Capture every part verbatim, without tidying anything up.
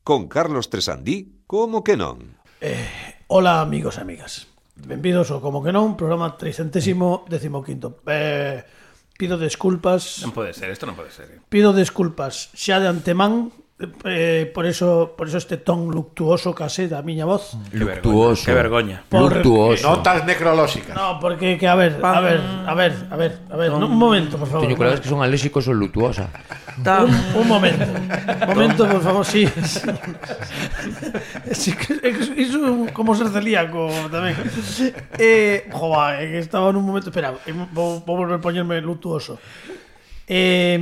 con Carlos Tresandí, como que non? Eh, hola amigos e amigas. Benvidos ao Como que non, programa trescientos quince. Eh, pido desculpas. Non pode ser, isto non pode ser. Pido desculpas xa de antemán. Eh, por eso por eso este ton luctuoso case da miña voz. Luctuoso. Que vergoña. Luctuoso. Notas necrolóxicas. No, porque que a ver, a ver, a ver, a ver, a ver, un momento, por favor. Teño colegas que son alérxicos ao luctuosa. Un, un momento. Un momento, por favor, sí. Sí, iso como ser celíaco tamén. Eh, joa, é que estaba nun momento, espera, vou, vou volver a poñerme luctuoso. Eh,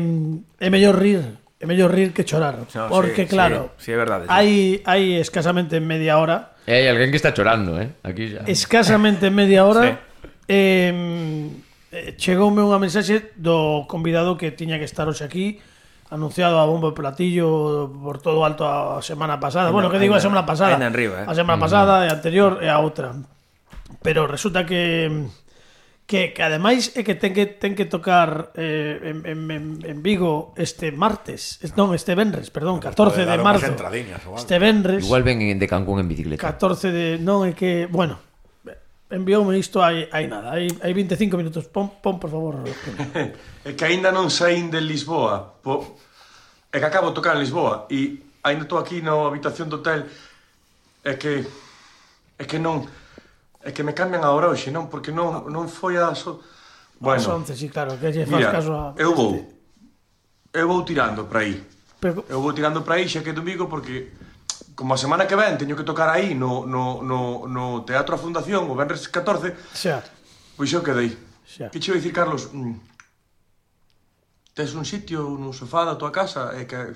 é mellor rir. É mellor rir que chorar, no, porque sí, claro, sí, sí, é verdade, sí. hai, hai escasamente media hora. E hai alguén que está chorando, eh? Aquí xa. Escasamente media hora. Sí. eh, chegoume unha mensaxe do convidado que tiña que estar hoxe aquí, anunciado a bombo e platillo por todo alto a semana pasada. Ainda, bueno, que digo a semana pasada? Ainda en riba, eh? A semana mm. pasada, e a anterior e a outra. Pero resulta que que, que ademais é que ten que ten que tocar eh, en, en, en Vigo este martes, non, este venres, perdón, catorce de marzo. Este venres. Igual ven de Cancún en bicicleta. catorce de, non é que, bueno, envioume isto hai hai nada, hai hai veinticinco minutos. Pon, pon por favor. É que aínda non saín de Lisboa. Po... É que acabo de tocar en Lisboa e aínda estou aquí na habitación do hotel. É que é que non É que me cambian a hora hoxe, non? Porque non, non foi a... So... Bueno, as once, sí, claro, que lle faz caso a... eu vou. Eu vou tirando para aí. Pero... Eu vou tirando para aí, xa que é domingo, porque como a semana que ven teño que tocar aí no, no, no, no Teatro a Fundación, o venres catorce, xa. Pois eu quedei. Xa. Que che vou dicir, Carlos? Mm, tes un sitio no sofá da tua casa? É que...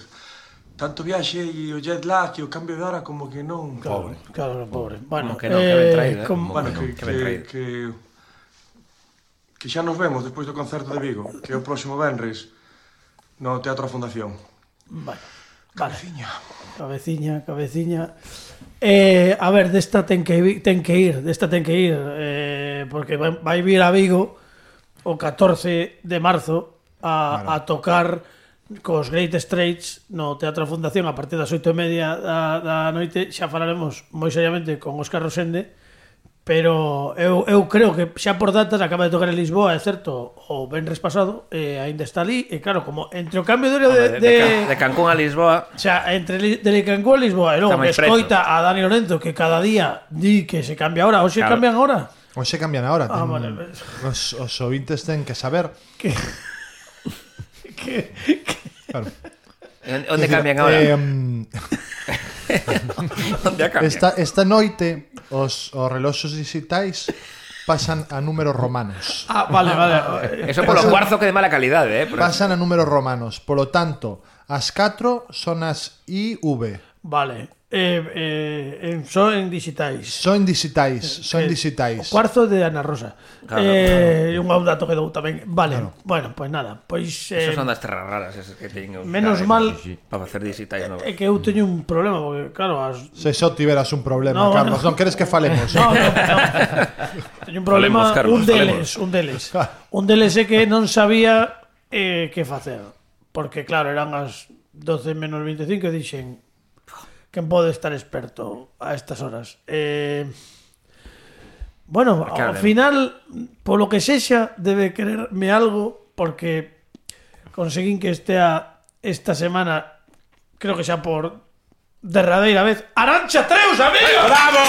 Tanto viaxe e o jet lag e o cambio de hora como que non... Claro, pobre. Claro, pobre. Bueno, como que non, eh, que ben traído, eh? Como... Bueno, que, que, que, que, que, que xa nos vemos despois do concerto de Vigo, que é o próximo venres no Teatro a Fundación. Bueno, vale. Cabeciña. Cabeciña, cabeciña. Eh, a ver, desta ten que, ten que ir, desta ten que ir, eh, porque vai vir a Vigo o catorce de marzo a, claro. a tocar... cos Great Straits no Teatro Fundación a partir das oito e media da, da noite. Xa falaremos moi seriamente con Óscar Rosende, pero eu, eu creo que xa por datas acaba de tocar en Lisboa, é certo, o venres pasado, e aínda está ali, e claro, como entre o cambio de hora de, de, de, de Cancún a Lisboa, xa, entre de Cancún a Lisboa, e logo que escoita a Dani Lorenzo que cada día di que se cambia a hora, ou se claro. cambian a hora? Ou se cambian a hora. Ah, ten, vale. os, os ouvintes ten que saber que que, que... Claro. Onde cambian ahora? Eh, um... Onde cambian? Esta, esta noite os, os reloxos digitais pasan a números romanos. Ah, vale, vale. Eso polo cuarzo que de mala calidade, eh? Pasan a números romanos. Polo tanto, as catro son as I V. Vale. Eh, eh, son en digitais. Son digitais, son eh, digitais. O cuarzo de Ana Rosa. Claro, eh, claro. Un dato que dou tamén. Vale, claro. Bueno, pois pues nada. Pois eh, Esas son das terras raras esas que teño. Menos mal sí, sí, para facer digitais novos. É que eu teño un problema porque claro, as... Se só tiveras un problema, no, Carlos, no. non queres que falemos. No, no, no. Teño un problema, Carlos, un deles, un deles. Un deles é que non sabía eh, que facer. Porque claro, eran as doce menos veinticinco e dixen quen pode estar experto a estas horas. Eh, bueno, ao final, polo que sexa, debe quererme algo, porque conseguín que estea esta semana, creo que xa por derradeira vez, Arantxa Treus, amigo! ¡Bravo!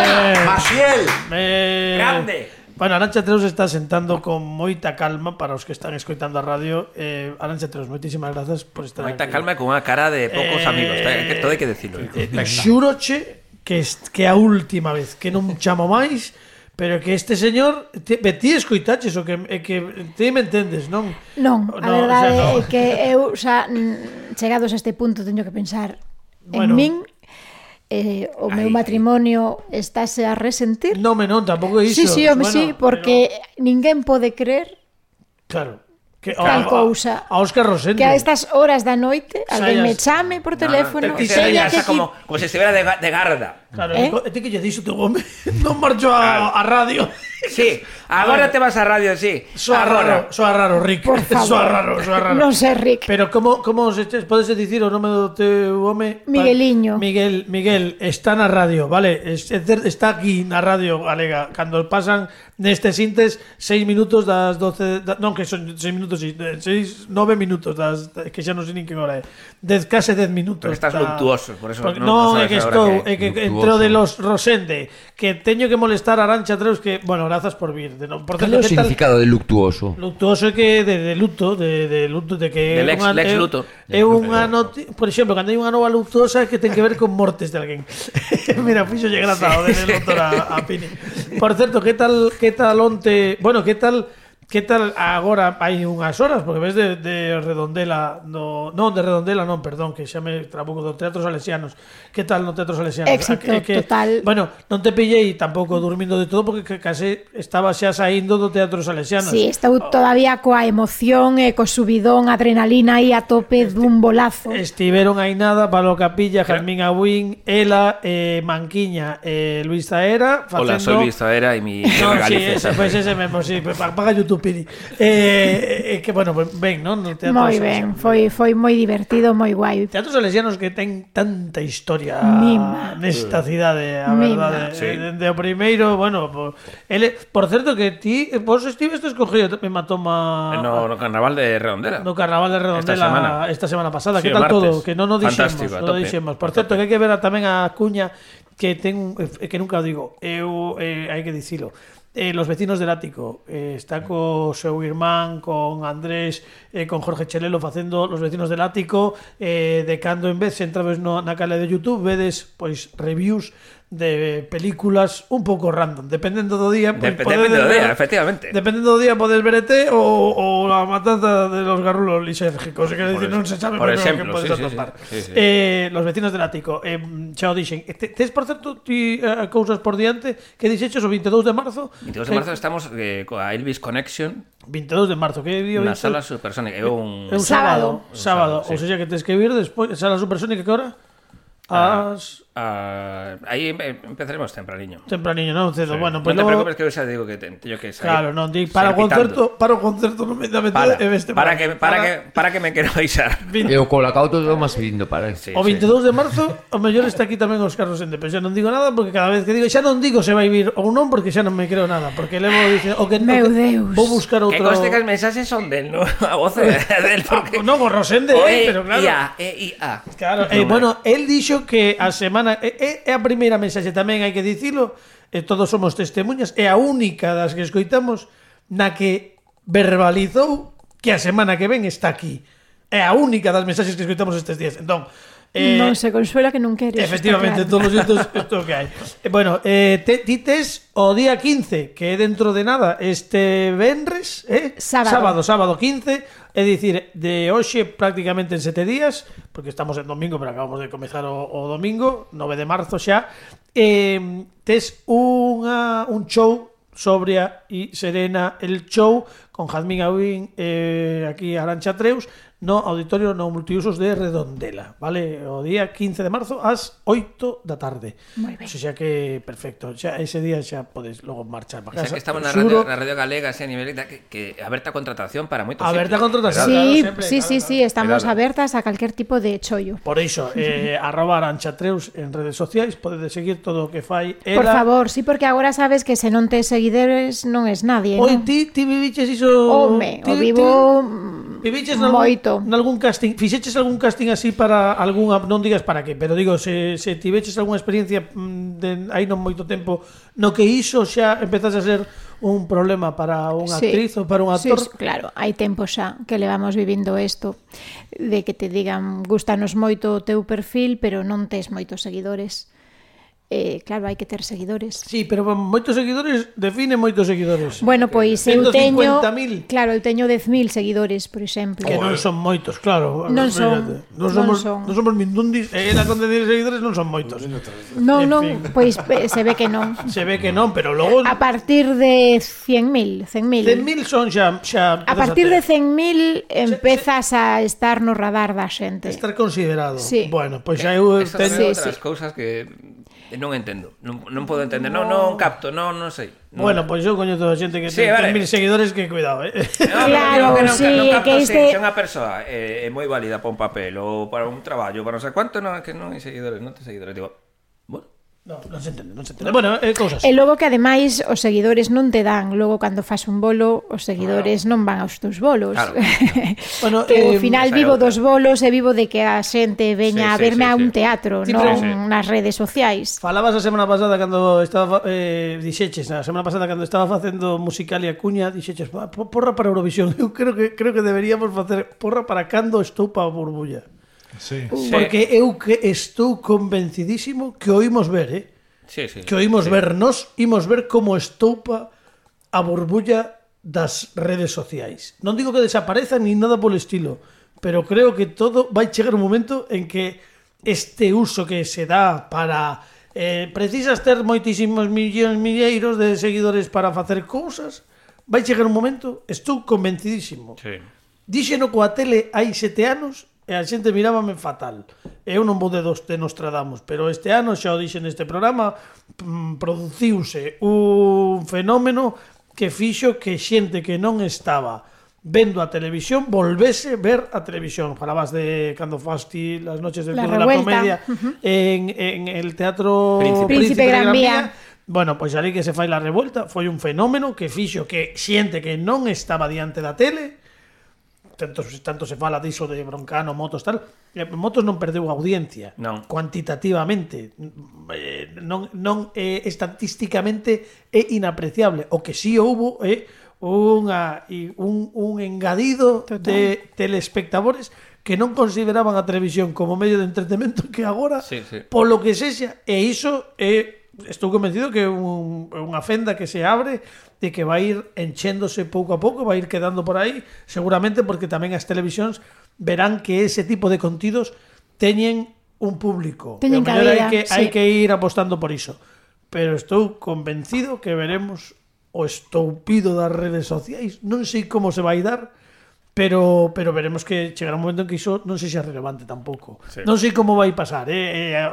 Eh, Maciel! Eh, ¡Grande! Bueno, Arantxa Treus está sentando con moita calma para os que están escoitando a radio. eh, Arantxa Treus, moitísimas grazas por estar moita aquí. Moita calma e con unha cara de poucos eh, amigos, que todo hai que decirlo. Eh, Xuroche que, que a última vez que non chamo máis, pero que este señor ti, ti escoitaches o que, é que ti me entendes, non? Non, a no, verdade o sea, no. é que eu xa chegados a este punto teño que pensar bueno, en min. Eh, o meu ay, matrimonio ay. Estáse a resentir. Non, me non, tampouco é iso. Sí, sí, home, bueno, sí, porque pero... ninguén pode creer. Claro. Que, tal a, cousa. A Óscar Rosendo. Que a estas horas da noite alguén me chame por teléfono. No, no, que se que como, como se estivera de, de garda. Claro, eh? E ti que lle dixo teu home non marchou a, a radio. Sí, agora te vas a radio, sí. Soa raro, soa raro, Rick. Por favor. Soa raro, soa raro. Non sei, Rick. Pero como como se podes dicir o nome do teu home? Migueliño. Miguel, Miguel está na radio, vale? Está aquí na radio galega cando pasan nestes intes seis minutos das doce, da, non que son seis minutos, seis, nove minutos das, que xa non sei nin que hora é. Dez, case dez minutos. Pero estás da, luctuoso, por eso porque, non, no, é que estou, é que entro luctuoso. de los Rosende, que teño que molestar a Arantxa Treus que, bueno, grazas por vir. De, no, por Cal é o que tal- significado de luctuoso? Luctuoso é que de, de luto, de, de luto, de que De lex- unha- lex é- luto. É unha noti... Por exemplo, cando hai unha nova luctuosa que ten que ver con mortes de alguén. Mira, fixo lle graza o de doutor a, a Pini. Por certo, que tal que tal onte, bueno, que tal que tal agora hai unhas horas, porque ves de, de Redondela, no, non de Redondela, non, perdón, que xa me trabuco do Teatro Salesianos. Que tal no Teatro Salesianos? Éxito É que, total. Bueno, non te pillei tampouco dormindo de todo porque case estaba xa saindo do Teatro Salesianos. Sí, estou todavía coa emoción e co subidón, adrenalina aí a tope dun bolazo. Estiveron aí nada, Pablo Capilla, Fermín Agüín, Ela, eh, Manquiña, eh, Luis Zaera facendo... Hola, soy Luis Zaera y mi No, sí, Galicia. ese, pues ese mesmo, sí, paga YouTube, Pini. Eh, eh, que bueno, pues ben, non? No Teatro Moi Salesianos. ben, foi foi moi divertido, moi guai. Teatros Salesianos que ten tanta historia Mima. nesta cidade, a Mima. verdade. Sí. Dende o primeiro, bueno, por, ele, por certo que ti, vos estivestes cogido me matoma No, no Carnaval de Redondela. no Carnaval de Redondela Esta semana. esta semana pasada. Sí, que o tal martes. todo? Que non o dixemos, Fantástico, a non o tope. dixemos. Por A certo, tope. que hai que ver a tamén a cuña que ten eh, que nunca o digo. Eu eh, hai que dicilo. Eh, los vecinos del ático eh, está co seu irmán, con Andrés, eh, con Jorge Chelelo facendo Los vecinos del ático, eh, de cando en vez entrades no, na cale de YouTube vedes pois reviews de películas un pouco random, dependendo do día, pois, Dep- podedes depende do ver- día, efectivamente. Dependendo do día podes ver E T o, o la matanza de los garrulos lisérgicos, que decir, es- non se sabe por moi ben o exemplo, que podes sí, sí, atopar. sí, sí, sí. Eh, los vecinos del ático, eh, xa o dixen. Te, tes, por certo, ti eh, cousas por diante que dixeches o veintidós de marzo? veintidós de marzo estamos eh, coa Elvis Connection veintidós de marzo, que día na vinte? sala supersónica. É un... É un Sábado. sábado, sábado, sábado, ou seja que tes que vir despois, sala supersónica que hora? As Ah, aí em- empezaremos tempraniño. tempraniño, non cedo. Bueno, non pues te logo... preocupes que eu xa digo que te- teño que sair. Claro, non, di, para o sair concerto, pitando. para o concerto non me dá Para, e veste para, que, para, que, para que me quero baixar. E o colacauto do máis vindo, para. Sí, O sí. veintidós de marzo, o mellor está aquí tamén os Carlos Ende, pero xa non digo nada porque cada vez que digo, xa non digo se vai vir ou non porque xa non me creo nada, porque levo dice, o que o Meu que- Deus. vou buscar Que outro. conste que os mensaxes son del, no? A voz é del, porque... No, con Rosende, O eh, E, pero claro. I, A, E, I, A. Claro, eh, bueno, el dixo que a semana é, é, é a primeira mensaxe tamén hai que dicilo, e todos somos testemunhas, é a única das que escoitamos na que verbalizou que a semana que ven está aquí. É a única das mensaxes que escoitamos estes días. Entón, eh, Non se consuela que non queres. efectivamente, está todos claro. os xeitos isto que hai. Eh, bueno, eh, te, ti tes o día quince, que é dentro de nada, este venres, eh? Sábado. sábado, sábado quince, é dicir, de hoxe prácticamente en sete días, porque estamos en domingo, pero acabamos de comezar o, o domingo, nove de marzo xa, eh, tes unha, un show sobria e serena, el show con Jazmín Agüín, eh, aquí Arantxa Treus, no auditorio no multiusos de Redondela, vale? O día quince de marzo ás oito da tarde. Moi ben. O sea que perfecto, xa ese día xa podes logo marchar para Xa casa. que estamos na Xuro. radio, na radio galega, así a nivel de que, que aberta contratación para moitos Aberta sitios. contratación. Sí, Claro, sempre, sí, claro, sí, claro. sí, estamos Cuidado. abertas a calquer tipo de chollo. Por iso, eh, arroba Arantxa Treus en redes sociais, podedes seguir todo o que fai ela. Por favor, sí, porque agora sabes que se non tes seguidores non es nadie, Oi, non? ti, ti viviches iso... Home, ti, o vivo ti, viviches nalgún, moito. nalgún casting, fixeches algún casting así para algunha, non digas para que, pero digo, se, se tiveches algunha experiencia mm, de hai non moito tempo, no que iso xa empezase a ser un problema para unha Sí. actriz ou para un actor. Sí, claro, hai tempo xa que levamos vivindo isto de que te digan gustanos moito o teu perfil, pero non tes moitos seguidores. Eh, claro, hai que ter seguidores. Sí, pero moitos seguidores define moitos seguidores. Bueno, pois eu ciento teño, cincuenta mil. claro, eu teño dez mil seguidores, por exemplo. Que non son moitos, claro. Non son, Fíjate. Non non somos, son. non somos mindundis, e ela con dez seguidores non son moitos. Non, En non, fin. pois pe- se ve que non. Se ve que non, pero logo A partir de cien mil, cen mil. cen mil son xa xa A partir de cen mil empezas a estar no radar da xente. estar considerado. Sí. Bueno, pois xa eu Estas teño son Sí, outras sí. cousas que Non entendo, non, non podo entender, non, non capto, non, non sei. Non... Bueno, pois pues eu coño toda a xente que sí, ten vale. mil seguidores que cuidado, eh. No, claro, que non, sí, non capto que se, este... se unha persoa é, é moi válida para un papel ou para un traballo, para non sei cuánto, non, que non hai seguidores, non ten seguidores, digo, bueno. No, non se entende, non se entende. Bueno, é eh, cousas. E logo que ademais os seguidores non te dan, logo cando fas un bolo, os seguidores claro. non van aos teus bolos. Claro. Bueno, que eh, ao final vivo dos bolos e vivo de que a xente veña sí, a verme sí, sí, a un sí. teatro, Sí, non pero- sí. nas redes sociais. Falabas a semana pasada cando estaba eh, dixeches, a semana pasada cando estaba facendo Musicalia Cuña, dixeches, "Pa- po- porra para Eurovisión". Eu creo que creo que deberíamos facer porra para cando estou para a burbulla. Sí. Sí. Porque eu que estou convencidísimo que o imos ver, eh? Sí, sí. Que o imos sí. ver, nos imos ver como estoupa a burbulla das redes sociais. Non digo que desapareza ni nada polo estilo, pero creo que todo vai chegar un momento en que este uso que se dá para eh, precisas ter moitísimos millóns milleiros de seguidores para facer cousas, vai chegar un momento, estou convencidísimo. Sí. Díxeno coa tele hai sete anos e a xente mirábame fatal. Eu non vou de dos de Nostradamus, pero este ano, xa o dixe neste programa, mm, produciuse un fenómeno que fixo que xente que non estaba vendo a televisión volvese ver a televisión. Falabas de cando fasti las noches del La Club de la Revuelta. Comedia Uh-huh. en, en el Teatro Príncipe. Príncipe Gran Vía. Bueno, pois ali que se fai la revuelta foi un fenómeno que fixo que xente que non estaba diante da tele, tanto, tanto se fala diso de Broncano, Motos, tal, eh, Motos non perdeu audiencia Non. cuantitativamente, eh, non, non eh, estatísticamente é inapreciable. O que sí houbo é unha, e un, un engadido Total. de telespectadores que non consideraban a televisión como medio de entretenimento que agora, Sí, sí. polo que sexa, e iso é, estou convencido que é un, unha fenda que se abre de que vai ir enchéndose pouco a pouco, vai ir quedando por aí, seguramente porque tamén as televisións verán que ese tipo de contidos teñen un público. Teñen E ao mellor hai cabida, que, hai sí. que ir apostando por iso. Pero estou convencido que veremos o estoupido das redes sociais. Non sei como se vai dar, pero pero veremos que chegará un momento en que iso non sei se é relevante tampouco. Sí. Non sei como vai pasar, eh, eh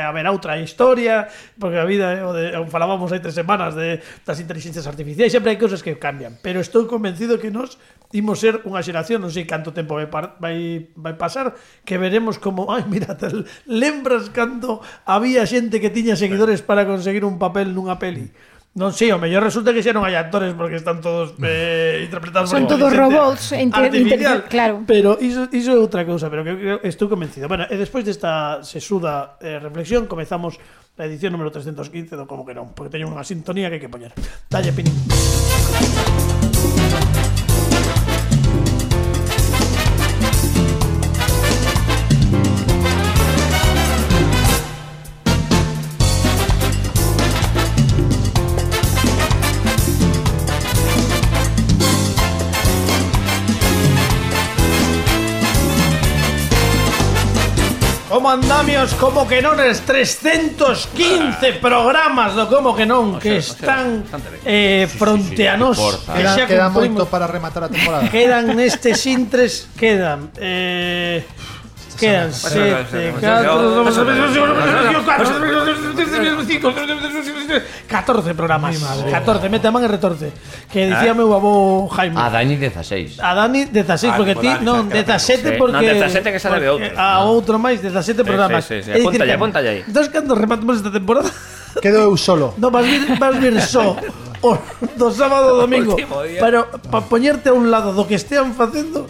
haberá outra historia, porque a vida, eh, o de, o falábamos hai tres semanas de das inteligencias artificiais, sempre hai cousas que cambian, pero estou convencido que nós imos ser unha xeración, non sei canto tempo vai, par, vai, vai pasar, que veremos como, ai, mira, tal, lembras cando había xente que tiña seguidores para conseguir un papel nunha peli? Non sei, o mellor resulta que xa non hai actores porque están todos eh, interpretados Son por todos inteligencia robots, inter- artificial. inter- claro. Pero iso, iso é outra cousa, pero que creo, estou convencido. Bueno, e despois desta sesuda eh, reflexión comezamos a edición número trescentos quince do Como que non, porque teño unha sintonía que hai que poñer. Dalle, Pinín. Como andamios, como que non, es trescentos quince programas do Como que non, que O sea, o sea, están bastante ben. eh, fronte a nós. forza. Que Queda, xa queda cumprimos. moito para rematar a temporada. Quedan nestes intres, quedan eh, quedan sete, catro, catorce programas. catorce, mete a man e retorce. Que dicía meu avó Jaime. A Dani dieciséis. A Dani dezasseis, Ah, porque como ti Dani, non, xa, que dezasete sí. porque Non, dezasete que sale de porque outro. A outro máis, dezasete programas. sí, sí. É dicir, Apúntalle, que- apúntalle aí. Entón, cando rematamos esta temporada, Quedo eu solo. no, vas vir, vas vir só o, do sábado ao domingo. Último día. Pero para poñerte a un lado do que estean facendo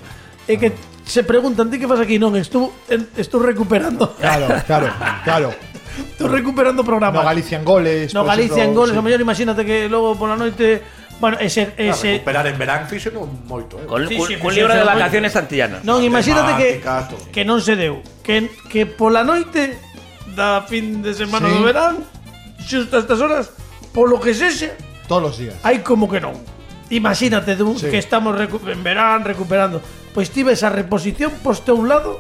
é que se preguntan, ti que fas aquí? Non, estou, en- estou recuperando. Claro, claro, claro. Estou recuperando programas. No Galicia en goles. No por Galicia en exemplo, goles, sí. a mellor imagínate que logo pola noite, bueno, ese ese Recuperar en verán fixo non moito, eh. Con, Sí, con, sí, con sí, libro sí, de sí. vacaciones antillanas. Non, imagínate que Temática, todo. que non se deu, que que pola noite da fin de semana Sí. do verán, xusto a estas horas, polo que sexa, Todos los días. hai como que non. Imagínate dun, Sí. que estamos recu en verán recuperando. Pois ti ves a reposición poste a un lado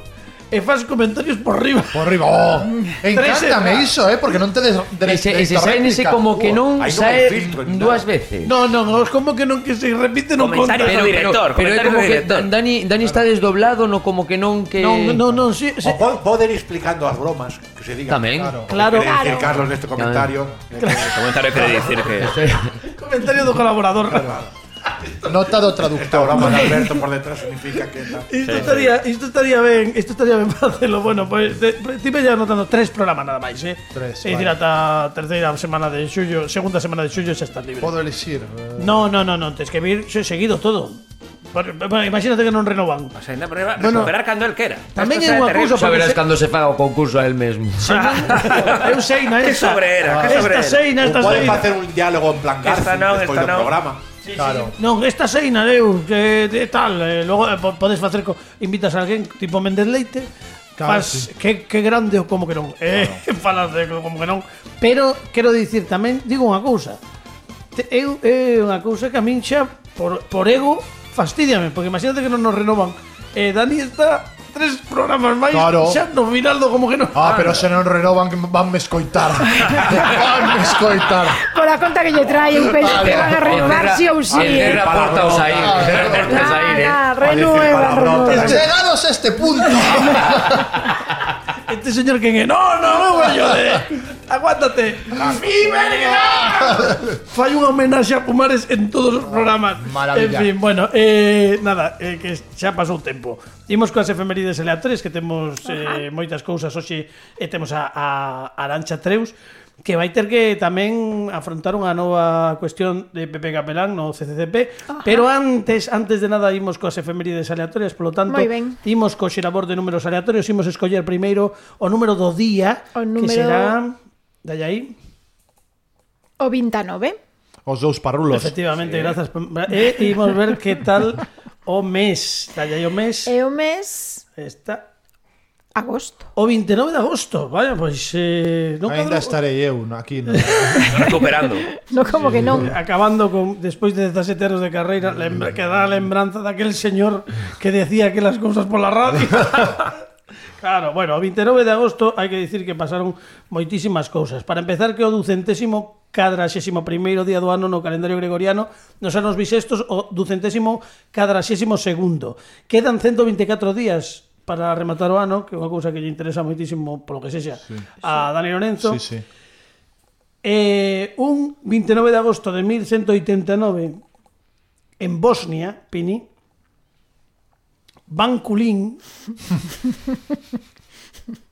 e faz comentarios por riba. Por arriba. Oh, Tres encántame semanas. iso, eh, porque non te des Ese, ese saen ese como que non Aí non sae hai filtro, nin dúas nada. veces. No, non, os como que non que se repite non conta. Comentarios do director, pero é comentarios como do que director. Dani, Dani está desdoblado, no como que non que Non, non, non, si, si. O po- poden ir explicando as bromas que se diga. Tamén. Claro. Quere dicir, Claro. Carlos, neste comentario. O comentario quere dicir que... Comentario do colaborador. Nota do Esta traductor. broma de Alberto por detrás significa que... tal. Isto estaría, isto estaría ben, isto estaría ben para facelo. Bueno, pois pues, estive ya anotando tres programas nada máis, eh. Tres, É dicir, vale. ata a terceira semana de xullo, segunda semana de xullo xa estás libre. Podo elixir. eh, No, no, no, no, tens que vir xe- seguido todo. Por- bueno, imagínate que non renovan. O sea, ainda prueba, Bueno, recuperar cando el quera. tamén Esto é será unha terrible. cousa Xa verás porque se- cando se faga o concurso a él mesmo. Eu sei, na Que esta. sobrera, que Esta sobrera. seina, esta Ou pode seina. facer un diálogo en plan Esta Garci non, despois esta do non. programa. Claro. Non, esta seina, eu, que de tal, eh, logo eh, po- podes facer co, invitas a alguén tipo Méndez Leite, Claro, fas sí. que, que grande ou como que non. Eh, falas de como que non. Pero quero dicir tamén, digo unha cousa. Te, eu é unha cousa que a min xa por, por ego fastidiame, porque imagínate que non nos renovan. Eh, Dani está tres programas máis Claro. xa no final do como que non. Ah, pero se non renovan que van me escoitar. Van me escoitar. Por a conta que lle trae, eu penso que van a renovar si ou si. El cerra a porta ao sair. El cerra a porta ao sair, eh. Ah, renueva, renueva. Llegados a este punto. Este señor que no, no, no voy yo de... Aguántate. Fai unha homenaxe a Pumares en todos os programas. Maravilla. En fin, bueno, eh, nada, eh, que xa pasou o tempo. Imos coas efemérides aleatorias, que temos eh, moitas cousas hoxe, e temos a, a Arancha Treus, que vai ter que tamén afrontar unha nova cuestión de Pepe Capelán no C C C P. Ajá. Pero antes, antes de nada, imos coas efemérides aleatorias, polo tanto, Moi ben. imos co xerabor de números aleatorios, imos escoller primeiro o número do día, O que número- será... Dalle aí. O vintanove. Os dous parrulos. Efectivamente, grazas. E imos ver que tal o mes. Dalle aí o mes. E o mes Está... agosto. O veintinueve de agosto. Vaya, pois... Eh, non Ainda cadro- estarei eu no- aquí. No. Recuperando. No como que non. Acabando con despois de dezasete anos de carreira, lembra, que dá a lembranza daquel señor que decía aquelas cousas pola radio. Claro, bueno, o veintinueve de agosto hai que dicir que pasaron moitísimas cousas. Para empezar, que o ducentésimo cadraxésimo primeiro día do ano no calendario gregoriano, nos anos bisestos, o ducentésimo cadraxésimo segundo. Quedan ciento veinticuatro días para rematar o ano, que é unha cousa que lle interesa moitísimo, polo que sexa, sí, a Dani Lorenzo. Sí, sí. Eh, un veintinueve de agosto de mil ciento ochenta y nueve en Bosnia, Pini, Ban Kulin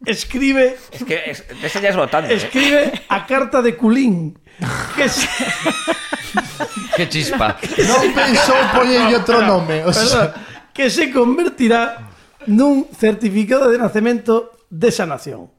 escribe Es que es, ese ya es votante. ¿eh? escribe a carta de Kulin que se, Que chispa. Non pensou poñerlle outro nome. O perdón, sea, que se convertirá nun certificado de nacemento desa nación.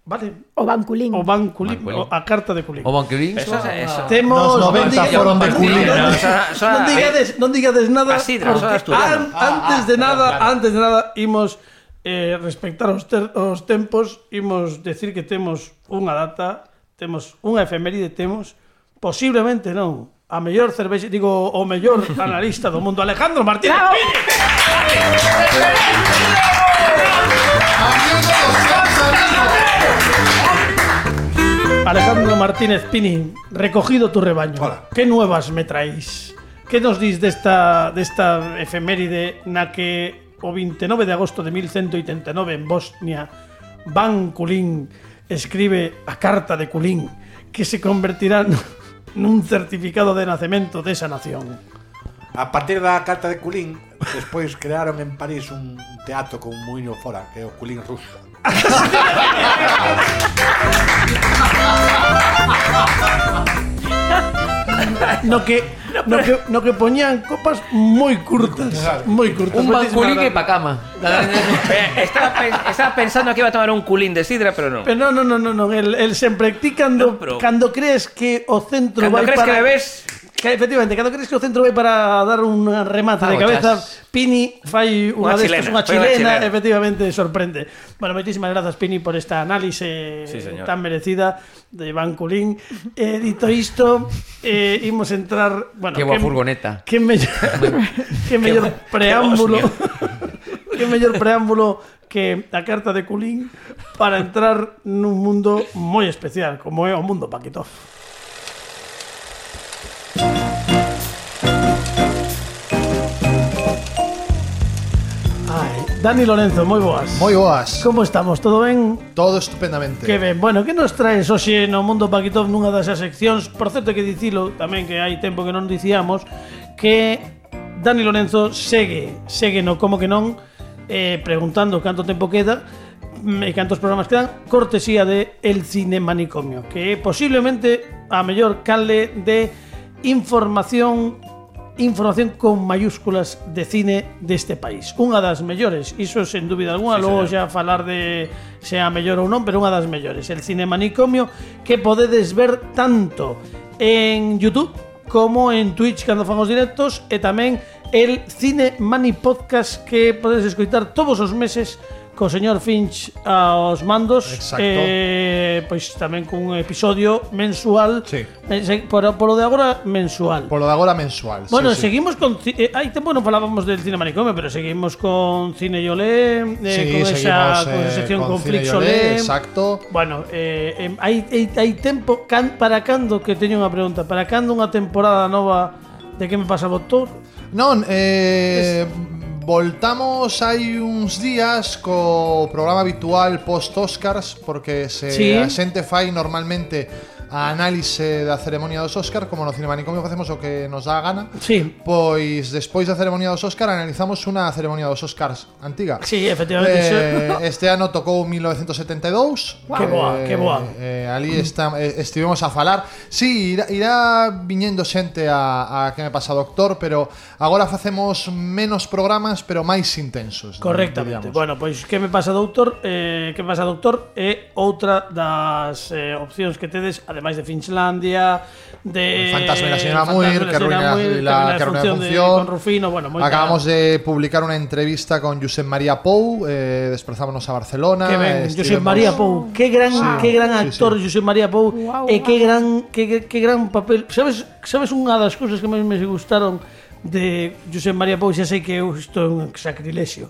Vale? O banculín. O Ban Kulin, Ban Kulin. o a carta de Kulin. O banquilín. Eso es eso. Temos Nos noventa non foron de non Kulin. diga- No, non eso- eso- non digades, non digades nada. A sidra, porque eso é asturiano. an- antes de nada, antes de nada imos eh, respectar os, ter, os tempos, imos decir que temos unha data, temos unha efeméride, temos posiblemente non a mellor cervexa, digo, o mellor analista do mundo, Alejandro Martínez Bravo. Pini. Alejandro Martínez Pini, recogido tu rebaño. Hola. Que nuevas me traéis? Que nos dis desta, desta efeméride na que o veintinueve de agosto de mil ciento ochenta y nueve en Bosnia Ban Kulin escribe a carta de Kulin que se convertirá nun certificado de nacemento desa nación? A partir da carta de Kulin, despois crearon en París un teatro con un muiño fora, que é o Kulin ruso. No que, no que, no que poñían copas moi curtas, moi curtas. Un Moitísimas banculín e gracias. pa cama. Eh, estaba, pen- estaba pensando que iba a tomar un culín de sidra, pero no. Pero no, no, no, no, no. El, el sempre ti cando, No, pero- cando crees que o centro Cando vai crees para... que bebes... Que, efectivamente, cando crees que o centro vai para dar un remate de Fagochas. cabeza, Pini fai unha Unha destas, chilena, unha fai unha chilena, chilena. efectivamente sorprende. Bueno, moitísimas grazas, Pini, por esta análise Sí, señor. tan merecida de Ban Kulin. Eh, dito isto, eh, imos entrar... Bueno, Que boa furgoneta. Que mellor, que mellor preámbulo... que mellor preámbulo que a carta de Kulin para entrar nun mundo moi especial, como é o mundo Paquito. Ai, Dani Lorenzo, moi boas. Moi boas. Como estamos? Todo ben? Todo estupendamente. Que ben. Bueno, que nos traes hoxe no Mundo Paquitov nunha das seccións? Por certo, que dicilo tamén, que hai tempo que non dicíamos, que Dani Lorenzo segue, segue no Como que non, eh, preguntando canto tempo queda e cantos programas quedan, cortesía de El Cine Manicomio, que é posiblemente a mellor canle de información información con mayúsculas de cine deste país. Unha das mellores, iso sen dúbida alguna, sí, logo xa falar de se a mellor ou non, pero unha das mellores. El Cine Manicomio, que podedes ver tanto en YouTube como en Twitch cando fan os directos, e tamén el Cine Mani Podcast, que podedes escoitar todos os meses co señor Finch aos mandos. Exacto. Eh, pois tamén cun episodio mensual. Sí. Eh, por, por lo de agora mensual. Por lo de agora mensual. Bueno, sí, sí. seguimos con eh, hai tempo non falábamos del Cine Manicomio, pero seguimos con Cine Yolé, eh, Sí, con esa seguimos, con esa eh, sección con con Cine Flix Yolé, Olé. exacto. Bueno, eh, eh, hai, hai, hai tempo can, para cando, que teño unha pregunta, para cando unha temporada nova de Que me pasa, doutor? Non, eh... voltamos hai uns días co programa habitual post-Oscars, porque se Sí. a xente fai normalmente a análise da ceremonia dos Oscar, como no Cine Manicomio facemos o que nos dá a gana. Sí. Pois despois da ceremonia dos Oscar analizamos unha ceremonia dos Oscars antiga. Sí, efectivamente. Eh, este ano tocou mil novecentos setenta e dous. Wow. Que boa, que boa. Eh, ali está, eh, estivemos a falar. Sí, irá, irá viñendo xente a, a Que me pasa, doctor, pero agora facemos menos programas, pero máis intensos. Correctamente. diríamos. Bueno, pois Que me pasa, doutor? Eh, que me pasa, doutor? É outra das eh, opcións que tedes, ademais de Finchlandia, de El fantasma de la señora Muir, que arruina la, que arruina la función. De, con Rufino, bueno, moi Acabamos de publicar una entrevista con Josep María Pou, eh, desplazámonos a Barcelona. Que ben, estivemos... Josep María Pou, que gran, Sí. que gran Sí, actor, sí. Josep María Pou, Guau, e que guau. gran, que, que, que gran papel. Sabes, sabes unha das cousas que máis me gustaron de Josep María Pou? Xa sei que isto é un sacrilexio,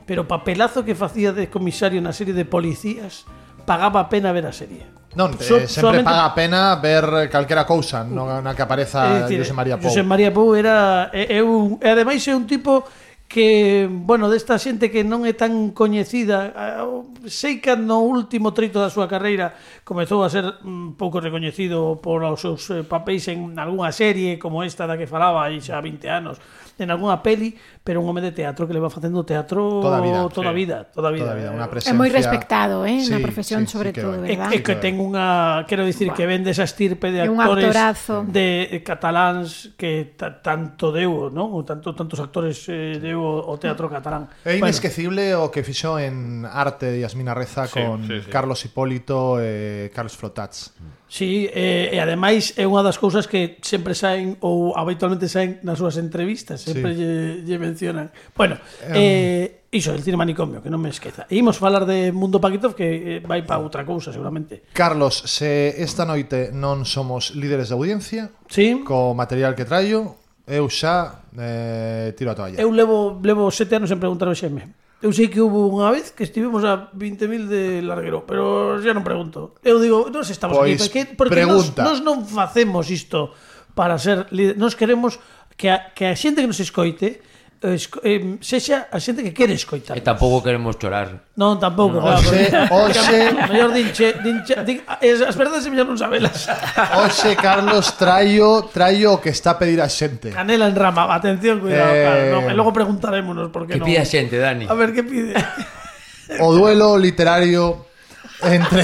pero o papelazo que facía de comisario na serie de Policías, pagaba a pena ver a serie. Non, So- eh, sempre solamente- paga a pena ver calquera cousa no, na que É apareza dicir, Josep María Pou. Josep María Pou era é, é un, e ademais é un tipo que, bueno, desta xente que non é tan coñecida, eh, sei que no último treito da súa carreira comezou a ser un pouco recoñecido por os seus eh, papéis en algunha serie como esta da que falaba aí xa vinte anos, en algunha peli, pero un home de teatro que le va facendo teatro Toda a vida, toda a sí. vida, toda a vida. Toda a vida, unha É presencia... moi respectado, eh, na Sí, profesión, sí, sí sobre que todo, vai. E, verdad? e que ten unha, quero dicir, que vende esa estirpe de É un actores actorazo. de cataláns que ta, tanto deu, non? O tanto tantos actores eh, deu o teatro catalán. É inesquecible o que fixo en arte de Yasmina Reza Sí, con sí, sí. Carlos Hipólito e Carlos Flotats. Sí, eh, e ademais é unha das cousas que sempre saen ou habitualmente saen nas súas entrevistas, sempre Sí. lle, lle mencionan. Bueno, eh, iso, el Cine Manicomio, que non me esqueza. E imos falar de Mundo Paquitov, que eh, vai para outra cousa seguramente. Carlos, se esta noite non somos líderes de audiencia, Sí. co material que traio, eu xa eh, tiro a toalla. Eu levo levo sete anos en preguntar ao Xeme. Eu sei que hubo unha vez que estivemos a veinte mil de larguero, pero xa non pregunto. Eu digo, nos estamos Pois, aquí, porque, porque nos, pregunta. nos non facemos isto para ser líder. Nos queremos que a, que a xente que nos escoite esco, eh, sexa a xente que quere escoitar. E tampouco queremos chorar. Non, tampouco, No, claro. hoxe- porque- hoxe- mellor dinche, dinche, din, as verdades mellor non sabelas. Oxe, Carlos, traio, traio o que está a pedir a xente. Canela en rama, atención, cuidado, Eh, claro, non, e logo preguntarémonos por que Que non. pide a xente, Dani? A ver que pide. O duelo literario entre